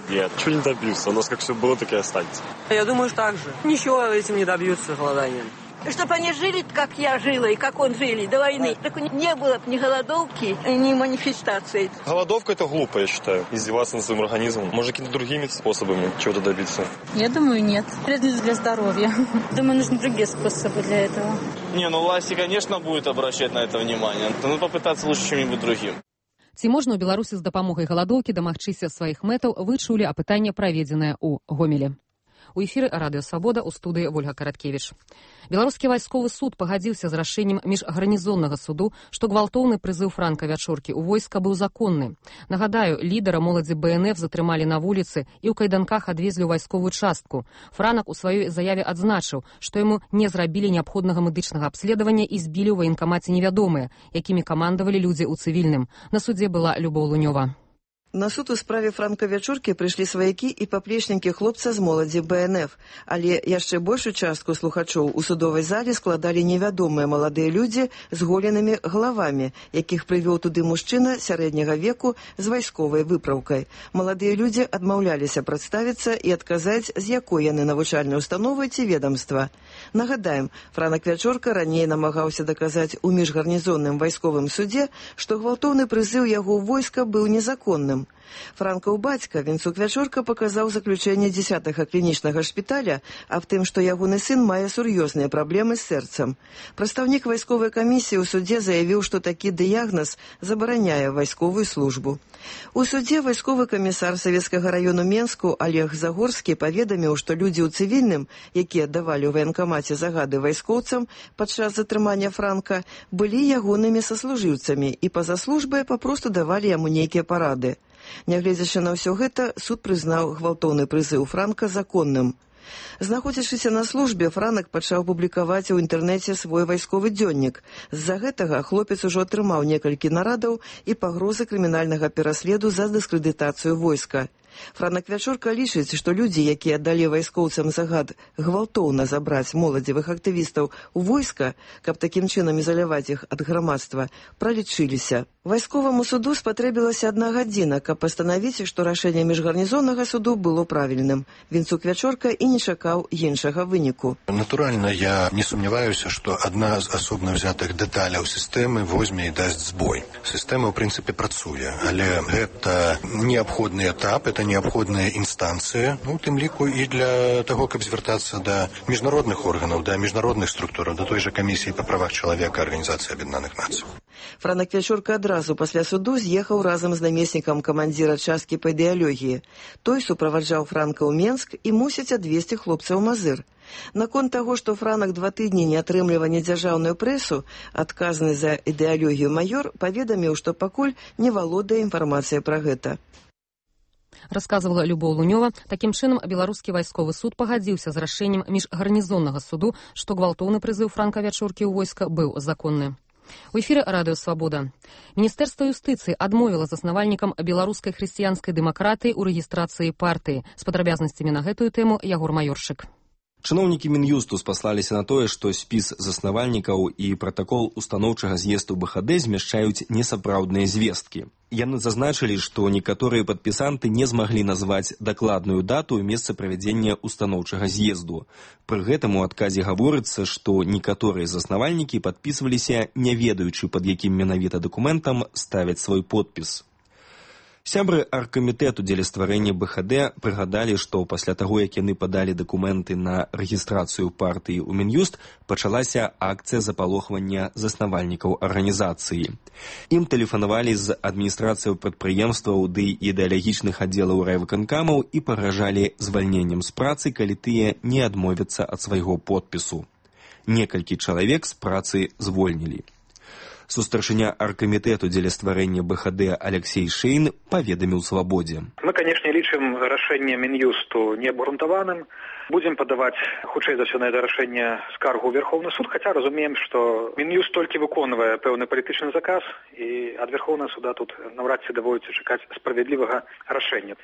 Нет, чего не добьются. У нас как все было, так и останется. Я думаю, что так же. Ничего этим не добьются голоданием. Чтобы они жили, как я жила и как он жили до войны. Так не было бы ни голодовки, ни манифестаций. Голодовка – это глупо, я считаю. Издеваться над своим организмом. Может, какими-то другими способами чего-то добиться? Я думаю, нет. Вредно для здоровья. Думаю, нужны другие способы для этого. Не, ну власти, конечно, будут обращать на это внимание. Но попытаться лучше чем-нибудь другим. Ці можна ў Беларусі з дапамогай галадоўкі дамагчыся сваіх мэтаў, вы чулі апытанне, праведзенае ў Гомелі. У эфіры радыё Свабода, у студыі Вольга Караткевіч. Беларускі вайсковы суд пагадзіўся з рашэннем міжгарнізоннага суду, што гвалтоўны прызыў Франка Вячоркі ў войска быў законны. Нагадаю, лідара моладзі бэ эн эф затрымалі на вуліцы і ў кайданках адвезлі ў вайсковую частку. Франак у сваёй заяве адзначыў, што яму не зрабілі неабходнага медычнага абследавання і збілі ў ваенкамаце невядомыя, якімі камандавалі людзі ў цывільным. На судзе была Любоў Лунёва. На суд у справе Франка Вячоркі прыйшлі сваякі і паплечнікі хлопца з моладзі бэ эн эф, але яшчэ большую частку слухачоў у судовай зале складалі невядомыя маладыя людзі з голенымі галавамі, якіх прывёў туды мужчына сярэдняга веку з вайсковай выпраўкай. Маладыя людзі адмаўляліся прадставіцца і адказаць, з якой яны навучальнай установы ці ведамства. Нагадаем, Франак Вячорка раней намагаўся даказаць у міжгарнізонным вайсковым судзе, што гвалтоўны прызыў яго ў войска быў незаконным. Франкаў бацька Вінцук Вячорка паказаў заключэнне дзесятага клінічнага шпіталя аб тым, што ягоны сын мае сур'ёзныя праблемы з сэрцам. Прадстаўнік вайсковай камісіі ў судзе заявіў, што такі дыягназ забараняе вайсковую службу. У судзе вайсковы камісар Савецкага раёну Менску Олег Загорскі паведаміў, што людзі ў цывільным, якія давалі ў ваенкамаце загады вайскоўцам падчас затрымання Франка, былі ягонымі саслужыўцамі і па-за службай папросту давалі яму нейкія парады. Нягледзячы на ўсё гэта, суд прызнаў гвалтоўны прызыў Франка законным. Знаходзячыся на службе, Франак пачаў публікаваць у інтэрнэце свой вайсковы дзённік. З-за гэтага хлопец ужо атрымаў некалькі нарадаў і пагрозы крымінальнага пераследу за дыскрэдытацыю войска. Франак Вячорка лічыць, што людзі, якія далі вайскоўцам загад гвалтоўна забраць моладзевых актывістаў у войска, каб такім чынам ізаляваць іх ад грамадства, пралічыліся. Вайсковаму суду спатрэбілася адна гадзіна, каб пастанавіць, што рашэнне міжгарнізоннага суду было правільным. Вінцук Вячорка і не чакаў іншага выніку. Натуральна, я не сумняваюся, што адна з асобна ўзятых дэталяў сістэмы возьме і дасць збой. Сістэма, ў прынцыпе, працуе, але гэта неабходны этап, это неабходная інстанцыя, ну, у тым ліку і для таго, каб звяртацца да міжнародных органаў, да міжнародных структураў, да той жа камісіі па правах чалавека Арганізацыі Аб'яднаных Нацый. Франак Вячорка адразу пасля суду з'ехаў разам з намеснікам камандзіра часткі па ідэалогіі. Той суправаджаў Франка ў Менск і мусіць адвезці хлопца ў Мазыр. Наконт таго, што Франак два тыдні не атрымлівае недзяржаўную прэсу, адказны за ідэалогію майор паведаміў, што пакуль не валодае інфармацыяй пра гэта. Расказвала Любоў Лунёва. Такім чынам, беларускі вайсковы суд пагадзіўся з рашэннем міжгарнізоннага суду, што гвалтоўны прызыў Франка Вячоркі ў войска быў законны. У эфіры радыё Свабода. Міністэрства юстыцыі адмовіла заснавальнікам беларускай хрысціянскай дэмакратыі ў рэгістрацыі партыі. З падрабязнасцямі на гэтую тэму Ягор Маёршык. Чыноўнікі Мін'юсту спаслаліся на тое, што спіс заснавальнікаў і пратакол устаноўчага з'езду бэ ха дэ змяшчаюць несапраўдныя звесткі. Яны зазначылі, што некаторыя падпісанты не змаглі назваць дакладную дату і месца правядзення устаноўчага з'езду. Пры гэтым у адказе гаворыцца, што некаторыя заснавальнікі падпісваліся, не ведаючы, пад якім менавіта дакументам ставяць свой подпіс. Сябры аргкамітэту дзеля стварэння бэ ха дэ прыгадалі, што пасля таго, як яны падалі дакументы на рэгістрацыю партыі ў Мін'юст, пачалася акцыя запалохвання заснавальнікаў арганізацыі. Ім тэлефанавалі з адміністрацыяў прадпрыемстваў ды ідэалагічных аддзелаў райвыканкамаў і пагражалі звальненнем з працы, калі тыя не адмовяцца ад свайго подпісу. Некалькі чалавек з працы звольнілі. Сустаршыня аргкамітэту дзеля стварэння бэ ха дэ Алексей Шейн паведаміў Свабодзе. Мы, канешне, лічым рашэнне Мін'юсту неабгрунтаваным. Будзем падаваць, хутчэй за ўсё, на гэта рашэнне скаргу ў Верховны суд, хаця разумеем, што Мін'юст толькі выконвае пэўны палітычны заказ, і ад Верховнага суда тут наўрад ці даводзіцца чакаць справядлівага рашэння.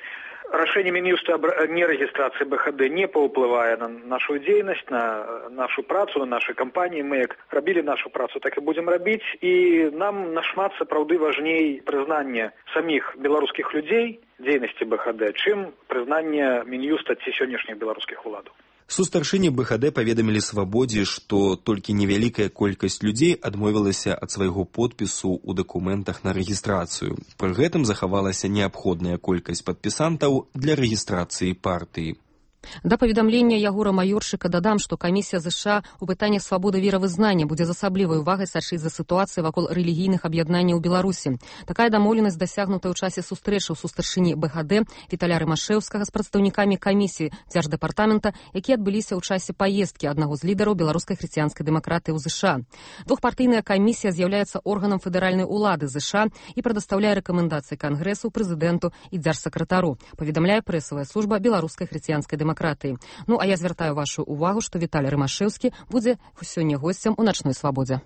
Рашэнне Мін'юста аб нерэгістрацыі бэ ха дэ не паўплывае на нашу дзейнасць, на нашу працу, на нашай кампаніі. Мы як рабілі нашу працу, так і будзем рабіць. І нам нашмат сапраўды важней прызнанне саміх беларускіх людзей дзейнасці бэ ха дэ, чым прызнанне Мін'юста ці сённяшніх беларускіх уладаў. Сустаршыні бэ ха дэ паведамілі Свабодзе, што толькі невялікая колькасць людзей адмовілася ад свайго подпісу ў дакументах на рэгістрацыю. Пры гэтым захавалася неабходная колькасць падпісантаў для рэгістрацыі партыі. Да паведамлення Ягора Майорчыка дадам, што камісія ЗША ў пытаннях свабоды веравызнання будзе з асаблівай увагай сачыць за сітуацыяй вакол рэлігійных аб'яднанняў у Беларусі. Такая дамоўленасць дасягнутая ў часе сустрэчаў са старшыні БХД Віталя Рымашэўскага з прадстаўнікамі камісіі дзярждэпартамента, якія адбыліся ў часе паездкі аднаго з лідараў беларускай хрысціянскай дэмакратыі ў ЗША. Двухпартыйная камісія з'яўляецца органам федэральнай улады ЗША і прадастаўляе рэкамендацыі кангрэсу, прэзідэнту і дзяржсакратару, паведамляе прэсавая служба беларускай хрысціянскай дэмакратыі. Ну, а я звяртаю вашу увагу, што Віталь Рымашэўскі будзе сёння госцем у начной свабодзе.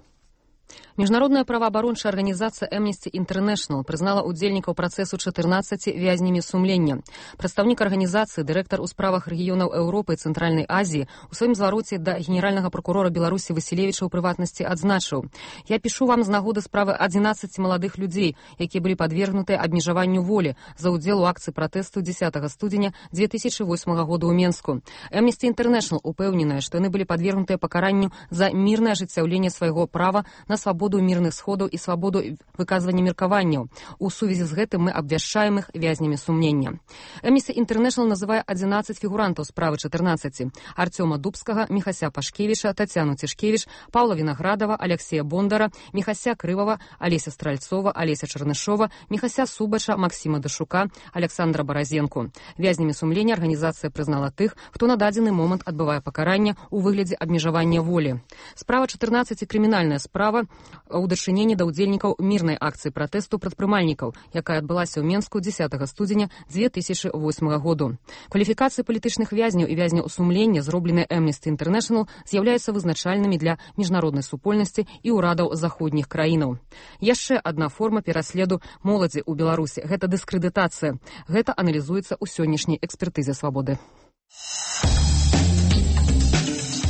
Міжнародная праваабарончая арганізацыя Amnesty International прызнала ўдзельнікаў працэсу чатырнаццаці вязнямі сумлення. Прадстаўнік арганізацыі, дырэктар у справах рэгіёнаў Еўропы і Цэнтральнай Азіі у сваім звароце да генеральнага пракурора Беларусі Васілевіча ў прыватнасці адзначыў: «Я пішу вам з нагоды справы адзінаццаці маладых людзей, якія былі падвергнутыя абмежаванню волі за ўдзел у акцыі пратэсту дзесятага студзеня дзве тысячы восьмага года ў Менску. Amnesty International упэўненая, што яны былі падвергнутыя пакаранню за мірнае ажыццяўленне свайго права на свабоду мірных сходаў і свабоду выказвання меркаванняў. У сувязі з гэтым мы абвяшчаем іх вязнямі сумлення». Amnesty International называе адзінаццаць фігурантаў справы чатырнаццаці: Арцёма Дубскага, Міхася Пашкевіча, Тацяну Цішкевіч, Паўла Вінаградава, Алексея Бондара, Міхася Крывава, Алеся Стральцова, Алеся Чарнышова, Міхася Субача, Максіма Дашука, Александра Баразенку. Вязнямі сумлення арганізацыя прызнала тых, хто на дадзены момант адбывае пакаранне ў выглядзе абмежавання волі. Справа чатырнаццаці крымінальная справа ў дачыненні да ўдзельнікаў мірнай акцыі пратэсту прадпрымальнікаў, якая адбылася ў Менску дзесятага студзеня дзве тысячы восьмага году. Кваліфікацыі палітычных вязняў і вязняў сумлення, зробленыя Amnesty International, з'яўляюцца вызначальнымі для міжнароднай супольнасці і ўрадаў заходніх краінаў. Яшчэ адна форма пераследу моладзі ў Беларусі – гэта дыскрэдытацыя. Гэта аналізуецца ў сённяшняй экспертызе свабоды.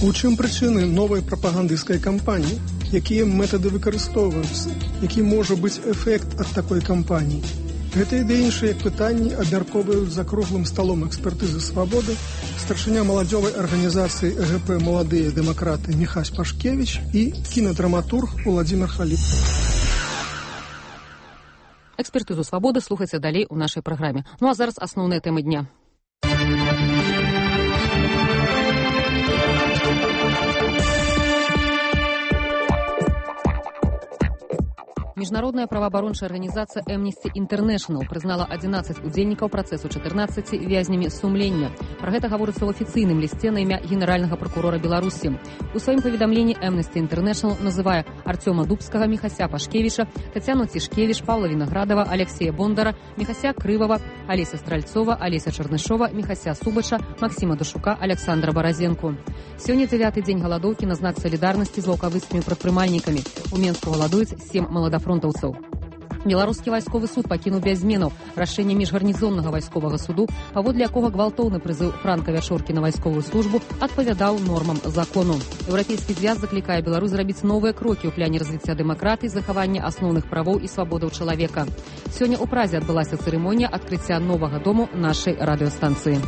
У чым прычыны новай прапагандысцкай кампаніі? Якія метады выкарыстоўваюцца? Які можа быць эфект ад такой кампаніі? Гэта і іншыя пытанні абмяркоўваюць за круглым сталом экспертызы свабоды старшыня маладзёвай арганізацыі ЭГП «Маладыя дэмакраты» Міхась Пашкевіч і кінадраматург Уладзімір Халіп. Экспертызу свабоды слухайце далей у нашай праграме. Ну а зараз асноўныя тэмы дня. Міжнародная праваабарончая арганізацыя Amnesty International прызнала адзінаццаць удзельнікаў працэсу чатырнаццаці вязнямі сумлення. Пра гэта гаворыцца ў афіцыйным лісце на імя генеральнага пракурора Беларусі. У сваім паведамленні Amnesty International называе Арцёма Дубскага, Міхася Пашкевіча, Тацяну Цішкевіч, Паўла Вінаградава, Алексея Бондара, Міхася Крывава, Алеся Стральцова, Алеся Чарнышова, Міхася Субача, Максіма Дашука, Александра Баразенку. Сёння дзявяты дзень галадоўкі на знак салідарнасці з лаўкавыцкімі прадпрымальнікамі. У Менску галадуюць сем маладафронтаўцаў. Беларускі вайсковы суд пакінуў без зменаў рашэнне міжгарнізоннага вайсковага суду, паводле якога гвалтоўны прызыў Франка Вячоркі на вайсковую службу адпавядаў нормам закону. Еўрапейскі звяз заклікае Беларусь зрабіць новыя крокі ў пляне развіцця дэмакратыі, захавання асноўных правоў і свабодаў чалавека. Сёння ў Празе адбылася цырымонія адкрыцця новага дому нашай радыёстанцыі.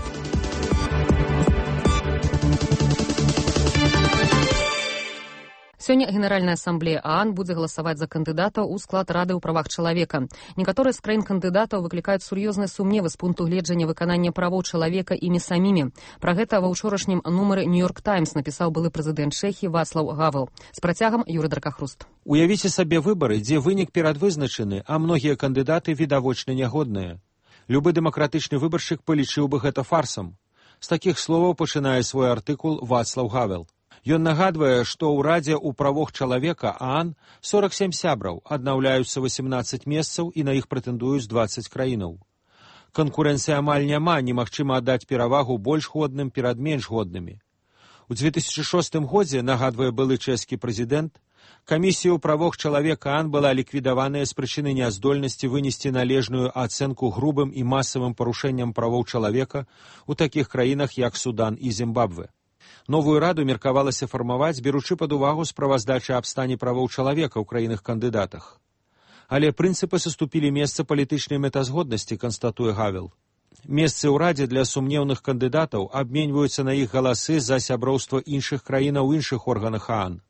Сёння Генеральная асамблея ААН будзе галасаваць за кандыдатаў у склад Рады ў правах чалавека. Некаторыя з краін кандыдатаў выклікаюць сур'ёзныя сумневы з пункту гледжання выканання правоў чалавека імі самімі. Пра гэта ва ўчорашнім нумары «Нью-Йорк Таймс» напісаў былы прэзідэнт Чэхіі Вацлаў Гавел. З працягам Юрый Дракахруст. Уявіце сабе выбары, дзе вынік перадвызначаны, а многія кандыдаты відавочна нягодныя. Любы дэмакратычны выбаршчык палічыў бы гэта фарсам. З такіх словаў пачынае свой артыкул Вацлаў Гавел. Ён нагадвае, што ў Радзе ў правах чалавека ААН сорак сем сябраў, аднаўляюцца васемнаццаць месцаў і на іх прэтэндуюць дваццаць краінаў. Канкурэнцыі амаль няма, немагчыма аддаць перавагу больш годным перад менш годнымі. У дзве тысячы шостым годзе, нагадвае былы чэшскі прэзідэнт, камісія ў правах чалавека ААН была ліквідаваная з прычыны няздольнасці вынесці належную ацэнку грубым і масавым парушэнням правоў чалавека ў такіх краінах, як Судан і Зімбабве. Новую раду меркавалася фармаваць, беручы пад увагу справаздачы аб стане правоў чалавека ў краінах-кандыдатах. Але прынцыпы саступілі месца палітычнай мэтазгоднасці, канстатуе Гавел. Месцы ў радзе для сумнеўных кандыдатаў абменьваюцца на іх галасы за сяброўства іншых краінаў у іншых органах ААН.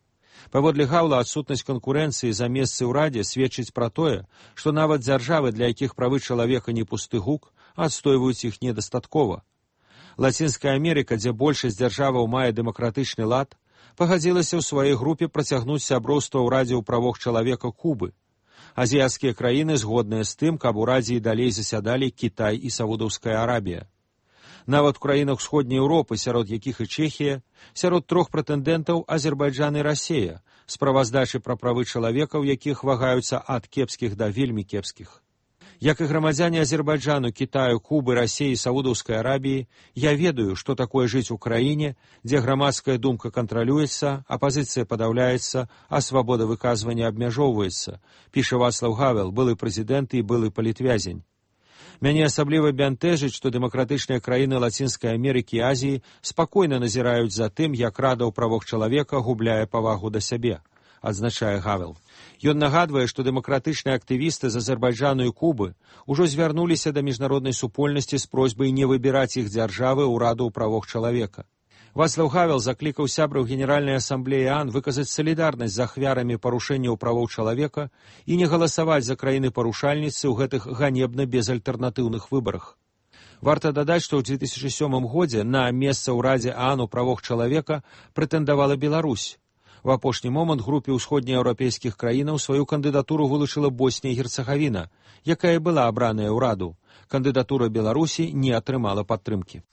Паводле Гаўла, адсутнасць канкурэнцыі за месцы ў радзе сведчыць пра тое, што нават дзяржавы, для якіх правы чалавека не пусты гук, адстойваюць іх недастаткова. Лацінская Амерыка, дзе большасць дзяржаваў мае дэмакратычны лад, пагадзілася ў сваёй групе працягнуць сяброўства ў Радзе ў правах чалавека Кубы. Азіяцкія краіны згодныя з тым, каб у Радзе і далей засядалі Кітай і Саудаўская Арабія. Нават у краінах Усходняй Еўропы, сярод якіх і Чэхія, сярод трох прэтэндэнтаў Азербайджан і Расія, справаздачы пра правы чалавека, у якіх вагаюцца ад кепскіх да вельмі кепскіх. Як і грамадзяне Азербайджану, Кітаю, Кубы, Расіі і Саудаўскай Арабіі, я ведаю, што такое жыць у краіне, дзе грамадская думка кантралюецца, апазіцыя падаўляецца, а свабода выказвання абмяжоўваецца, піша Вацлаў Гавел, былы прэзідэнт і былы палітвязень. Мяне асабліва бянтэжыць, што дэмакратычныя краіны Лацінскай Амерыкі і Азіі спакойна назіраюць за тым, як Рада ў правах чалавека губляе павагу да сябе, адзначае Гавел. Ён нагадвае, што дэмакратычныя актывісты з Азербайджану і Кубы ўжо звярнуліся да міжнароднай супольнасці з просьбай не выбіраць іх дзяржавы ў Раду ў правах чалавека. Вацлаў Гавел заклікаў сябраў Генеральнай асамблеі ААН выказаць салідарнасць з ахвярамі парушэнняў правоў чалавека і не галасаваць за краіны-парушальніцы ў гэтых ганебна безальтэрнатыўных выбарах. Варта дадаць, што ў дзве тысячы сёмым годзе на месца ў Радзе ААН у правах чалавека прэтэндавала Беларусь. У апошні момант групе ўсходнееўрапейскіх краінаў сваю кандыдатуру вылучыла Боснія і Герцагавіна, якая была абраная ў Раду. Кандыдатура Беларусі не атрымала падтрымкі.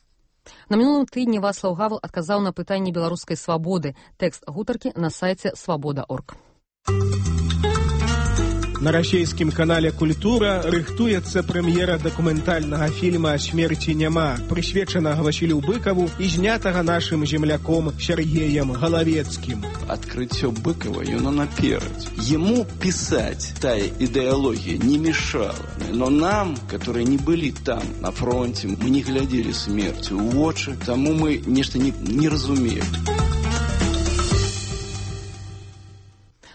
На мінулым тыдні Вацлаў Гавел адказаў на пытанні беларускай свабоды. Тэкст гутаркі на сайце свабода точка орг. На расійскім канале «Культура» рыхтуецца прэм'ера дакументальнага фільма «Смерці няма», прысвечанага Васілю Быкаву і знятага нашым земляком Сергеем Галавецкім. Открытие Быкова, оно наперед. Ему писать тая идеология не мешала. Но нам, которые не были там, на фронте, мы не глядели смертью в очи, тому мы нечто не, не разумеем.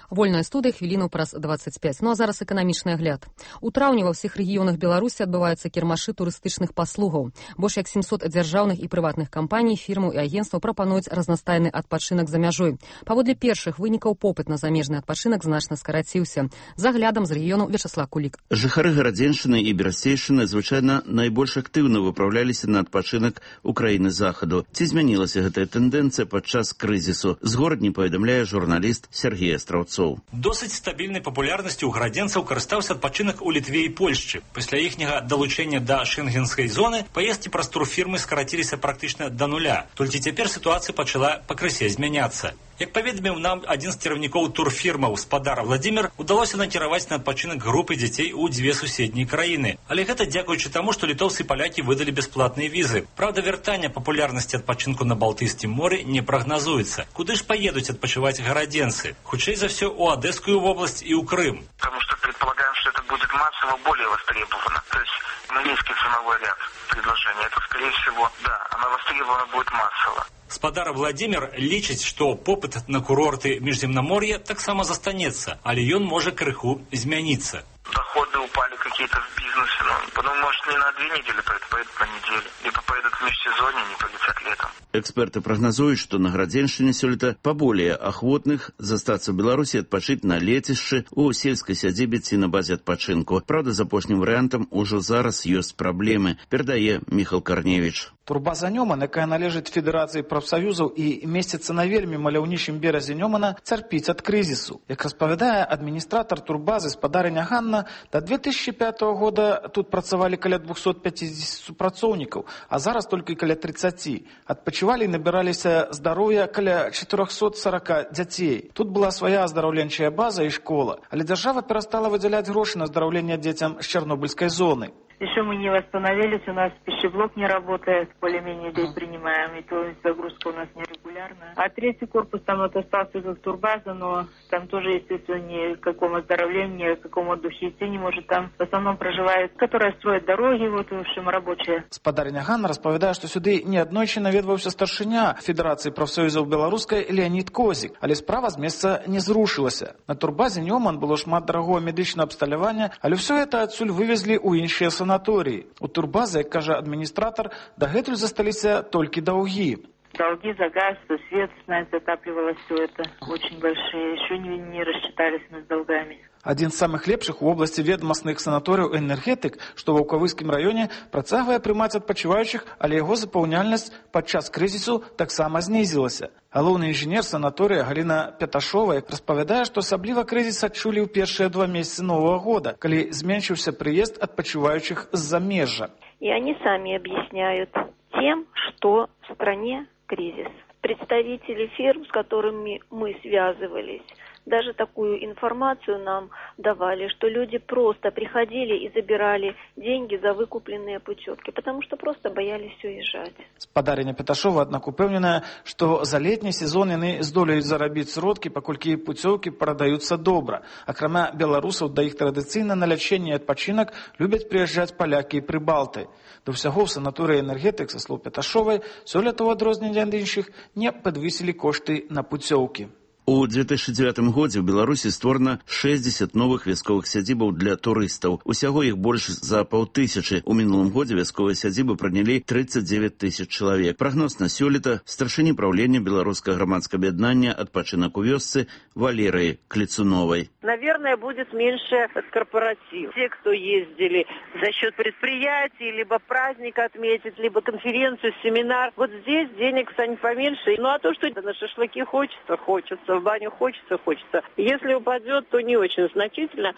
Вольная студыя, хвіліну праз дваццаць пяць. Ну а зараз эканамічны агляд. У траўні ва ўсіх рэгіёнах Беларусі адбываюцца кірмашы турыстычных паслугаў. Больш як сямсот дзяржаўных і прыватных кампаній, фірмаў і агенцтваў прапануюць разнастайны адпачынак за мяжой. Паводле першых вынікаў попыт на замежны адпачынак значна скараціўся. За аглядам з рэгіёну Вячаслав Кулік. Жыхары Гарадзеншчыны і Берасцейшчыны звычайна найбольш актыўна выпраўляліся на адпачынак у краіны захаду. Ці змянілася гэтая тэндэнцыя падчас крызісу? З горадні паведамляе журналіст Сергей Астраўцоў. Досыць стабільнай папулярнасцю ў гарадзенцаў карыстаўся адпачынак у Літве і Польшчы. Пасля іхняга далучэння да шэнгенскай зоны паездкі праз турфірмы скараціліся практычна да нуля. Толькі цяпер сітуацыя пачала пакрысе змяняцца. Як паведаміў нам адзін з кіраўнікоў турфірмаў спадар Владзімір, удалося накіраваць на адпачынак групы дзяцей у дзве суседнія краіны. Але гэта дзякуючы таму, што літоўцы і палякі выдалі бясплатныя візы. Праўда, вяртання папулярнасці адпачынку на Балтыйскім моры не прагназуецца. Куды ж паедуць адпачываць гарадзенцы? Хутчэй за все у Одесскую область и у Крым. Потому что предполагаем, что это будет массово более востребовано. То есть низкий ценовой ряд предложения. Это, скорее всего, да, она востребована будет массово. Спадар Владимир лічыць, што попыт на курорты Міжземнамор'я таксама застанецца, але ён можа крыху змяніцца. Доходы упали какие-то в бизнесе, но потом, может, не на две недели, поедут по неделе. Либо поедут в межсезонье, не полетят летом. Эксперты прогнозуют, что на Гарадзеншчыне сёлета поболее охотных застаться в Беларуси отпочить на лецішчы у сельской сядзібе ці на базе адпачынку. Правда, з апошнім варыянтам ужо зараз ёсць праблемы, перадае Міхал Карневіч. Турбаза Нёман, якая належыць Федэрацыі прафсаюзаў і месціцца на вельмі маляўнічым беразе Нёмана, цярпіць ад крызісу. Як распавядае адміністратар турбазы спадарыня Ганна, да две тысячи пятого года тут працавалі каля двухсот пятидесяти супрацоўнікаў, а зараз толькі каля тридцати. Адпачывалі і набіраліся здароўя каля четырёхсот сорока дзяцей. Тут была свая аздараўленчая база і школа, але дзяржава перастала выдзяляць грошы на аздараўленне дзецям з Чарнобыльскай зоны. Еще мы не восстановились, у нас пищеблок не работает, более-менее здесь принимаем, и то есть загрузка у нас нерегулярная. А третий корпус, там вот остался как турбаза, но там тоже, естественно, ни к какому оздоровлению, ни к какому отдухе идти не может. Там в основном проживают, которые строят дороги, вот, в общем, рабочие. Спадарня Ганна распавядае, што сюды неаднойчы наведваўся старшыня Федэрацыі прафсаюзаў беларускай Леонид Козік, але справа з месца не зрушылася. На турбазе Нёман было шмат дарагого медычнага абсталявання, але ўсё гэта адсюль вывезлі ў іншыя санаторыі. У турбазы, як кажа адміністратар, дагэтуль засталіся толькі даўгі. Долги за газ, за свет, знать, затапливалось все это очень большие. Еще не, не рассчитались мы с долгами. Один з самых лепшых у области ведомостных санаторыяў энергетик, что в Ваўкавыскім районе працягвае прымаць адпачываючых, але яго запаўняльнасць падчас крызісу таксама знізілася. Галоўны інжынер санаторыя Галина Пяташова распавядае, што асабліва крызіс адчулі ў першыя два месяцы нового года, калі зменшыўся прыезд адпачываючых з замежжа. И они сами объясняют тем, что в стране кризис. Представители фирм, с которыми мы связывались, даже такую информацию нам давали, что люди просто приходили и забирали деньги за выкупленные путевки, потому что просто боялись уезжать. Спадарыня Пяташова, аднак, упэўненая, што за летні сезон яны здолеюць зарабіць сродкі, паколькі путевкі прадаюцца добра. Акрамя беларусаў, да іх традыцыйна на лячэнне і адпачынак любяць прыязджаць палякі і прыбалты. Да ўсяго ў санаторыі энергетик, са слоў Пяташовай, сёлета ў адрозненне ад іншых не падвысілі кошты на путевкі. У две тысячи девятым годзе ў Беларусі створана шэсцьдзесят новых вясковых сядзібаў для турыстаў. Усяго іх больш за паўтысячы. У мінулым годзе вясковыя сядзібы прынялі тридцать девять тысяч чалавек. Прагноз на сёлета старшыні праўлення беларускага грамадскага аб'яднання «Адпачынак у вёсцы» Валерыі Клецуновой. Наверное, будет меньше корпоратив. Те, кто ездили за счет предприятий, либо праздник отметить, либо конференцию, семинар. Вот здесь денег станет поменьше. Ну а то, что на шашлыки хочется, хочется. В баню хочется, хочется. Если упадет, то не очень значительно.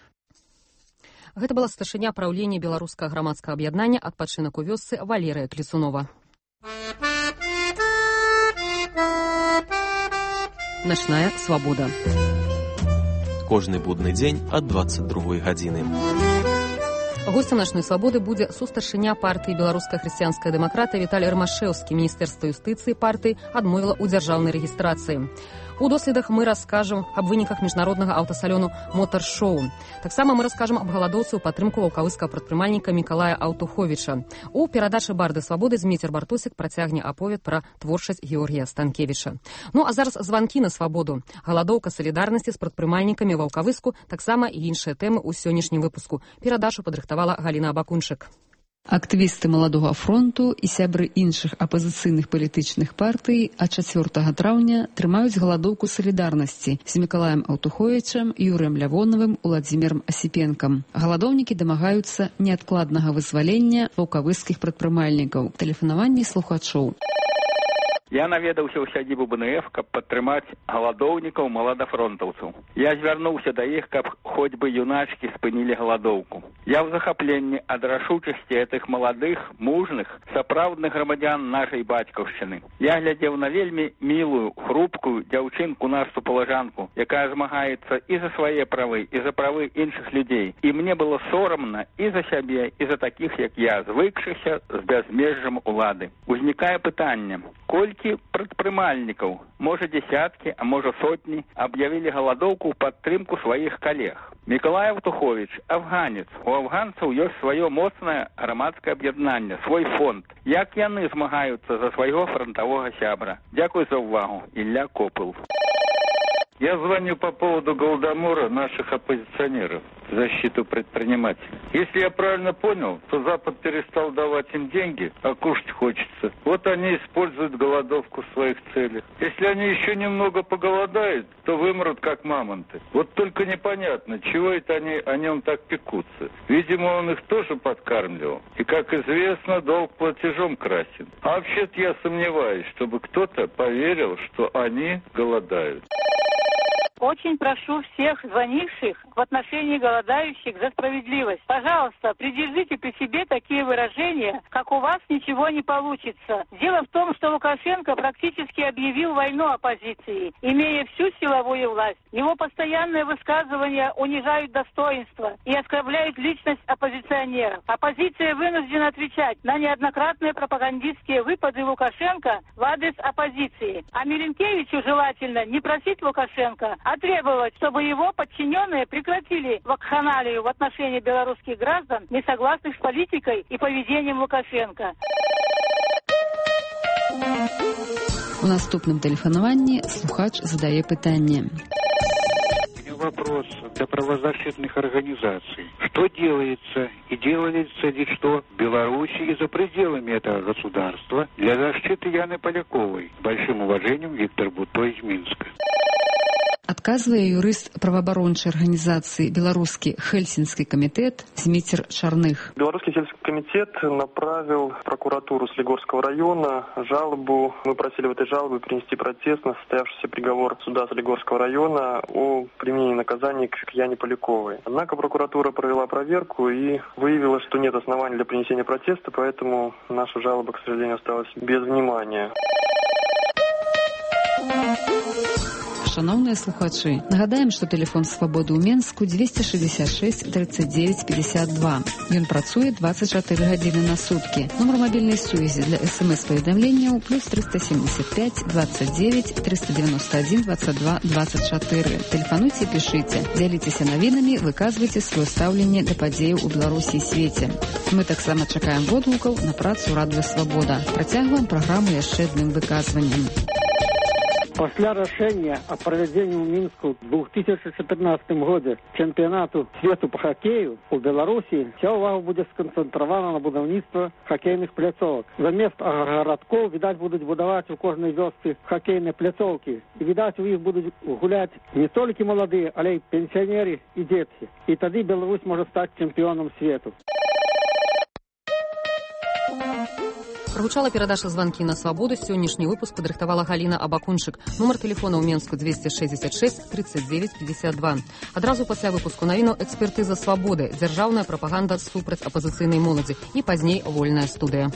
Гэта была старшыня праўлення беларускага грамадскага аб'яднання «Адпачынак у вёсцы» Валерыя Клецунова. Начная свабода. Кожны будны дзень ад двадцать другой гадзіны. Гостем «Начной свабоды» будзе сустаршыня партыі «Беларуская хрысціянская дэмакрата» Віталій Рымашэўскі. Міністэрства юстыцыі партыі адмовіла ў дзяржаўнай рэгістрацыі. У доследах мы раскажам аб выніках міжнароднага аўтасалёну «Мотар-шоу». Таксама мы раскажам аб галадоўцы ў падтрымку ваўкавыскага прадпрымальніка Мікалая Аўтуховіча. У перадачы «Барды свабоды» Зміцер Бартосік працягне аповед пра творчасць Георгія Станкевіча. Ну а зараз званкі на свабоду. Галадоўка салідарнасці з прадпрымальнікамі Ваўкавыску, таксама і іншыя тэмы ў сённяшнім выпуску. Перадачу падрыхтавала Галіна Абакунчык. Актывісты Маладога фронту і сябры іншых апазіцыйных палітычных партый ад чацвёртага траўня трымаюць галадоўку салідарнасці з Мікалаем Аўтуховічам, Юрыем Лявоновым, Уладзімірам Асіпенкам. Галадоўнікі дамагаюцца неадкладнага вызвалення ваўкавыскіх прадпрымальнікаў. Тэлефанаванні слухачоў. Я наведаўся ў сядзібу бэ эн эф, каб падтрымаць галадоўнікаў маладафронтаўцаў. Я звярнуўся да іх, каб хоць бы юначкі спынілі галадоўку. Я ў захапленні ад рашучасці гэтых маладых, мужных, сапраўдных грамадзян нашай бацькаўшчыны. Я глядзеў на вельмі мілую, хрупкую дзяўчынку нашу палажанку, якая змагаецца і за свае правы, і за правы іншых людзей. І мне было сорамна і за сябе, і за такіх, як я, звыкшыся з бязмежжам улады. Узнікае пытанне, колькі прадпрымальнікаў, можа дзесяткі, а можа сотні, аб'явілі галадоўку ў падтрымку сваіх калег. Мікалай Аўтуховіч – афганец. У афганцаў ёсць сваё моцнае грамадскае аб'яднанне, свой фонд. Як яны змагаюцца за свайго фронтавога сябра? Дзякуй за ўвагу. Ілля Копыл. Я звоню по поводу голодомора наших оппозиционеров в защиту предпринимателей. Если я правильно понял, то Запад перестал давать им деньги, а кушать хочется. Вот они используют голодовку в своих целях. Если они еще немного поголодают, то вымрут как мамонты. Вот только непонятно, чего это они о нем так пекутся. Видимо, он их тоже подкармливал. И, как известно, долг платежом красен. А вообще-то я сомневаюсь, чтобы кто-то поверил, что они голодают. Очень прошу всех звонивших в отношении голодающих за справедливость. Пожалуйста, придержите при себе такие выражения, как «у вас ничего не получится». Дело в том, что Лукашенко практически объявил войну оппозиции, имея всю силовую власть. Его постоянные высказывания унижают достоинство и оскорбляют личность оппозиционеров. Оппозиция вынуждена отвечать на неоднократные пропагандистские выпады Лукашенко в адрес оппозиции. А Миленкевичу желательно не просить Лукашенко, а требовать, чтобы его подчиненные прекратили вакханалию в отношении белорусских граждан, не согласных с политикой и поведением Лукашенко. У наступным тэлефанаванні слухач задае пытанне. Во вопрос для правозащитных организаций. Что делается и делается ли что в Беларуси и за пределами этого государства для защиты Яны Поляковой? С большим уважением, Виктор Бутто из Минска. Адказвае юрыст праваабарончай арганізацыі беларускі Хельсинский комитет Зміцер Чарных. Белорусский сельский комитет направил в прокуратуру Солигорского района жалобу. Мы просили в этой жалобе принести протест на состоявшийся приговор суда Солигорского района о применении наказаний к Яне Поляковой. Однако прокуратура провела проверку и выявила, что нет оснований для принесения протеста, поэтому наша жалоба, к сожалению, осталась без внимания. Шановныя слухачы, нагадаем, што тэлефон свабоды ў Менску двести шестьдесят шесть тридцать девять пятьдесят два. Ён працуе двадцать четыре гадзіны на суткі. Нумар мабільнай сувязі для смс-паведамленняў плюс триста семьдесят пять двадцать девять триста девяносто один двадцать два двадцать четыре. Тэлефануйце і пішыце, дзяліцеся навінамі, выказвайце сваё стаўленне да падзеяў у Беларусі і свеце. Мы таксама чакаем водгукаў на працу радыё Свабода. Працягваем праграму яшчэ адным выказваннем. Пасля рашэння о правядзенні ў Мінску в две тысячи четырнадцатым годзе чэмпіянату свету по хоккею у Беларусі вся ўвага будзе сканцэнтравана на будаўніцтва хоккейных пляцовак. Замест гарадкоў, відаць, будуць будаваць у кожнай вёсцы хоккейныя пляцоўкі. І, відаць, у іх будуць гуляць не толькі маладыя, але і пенсіянеры і дзеці. І тады Беларусь можа стаць чэмпіёнам свету. Прагучала перадача званкі на свабоду. Сённяшні выпуск падрыхтавала Галіна Абакунчык. Нумар тэлефона ў Менску двести шестьдесят шесть тридцать девять пятьдесят два. Адразу пасля выпуску навінаў экспертыза свабоды, дзяржаўная прапаганда супраць апазіцыйнай моладзі і пазней вольная студыя.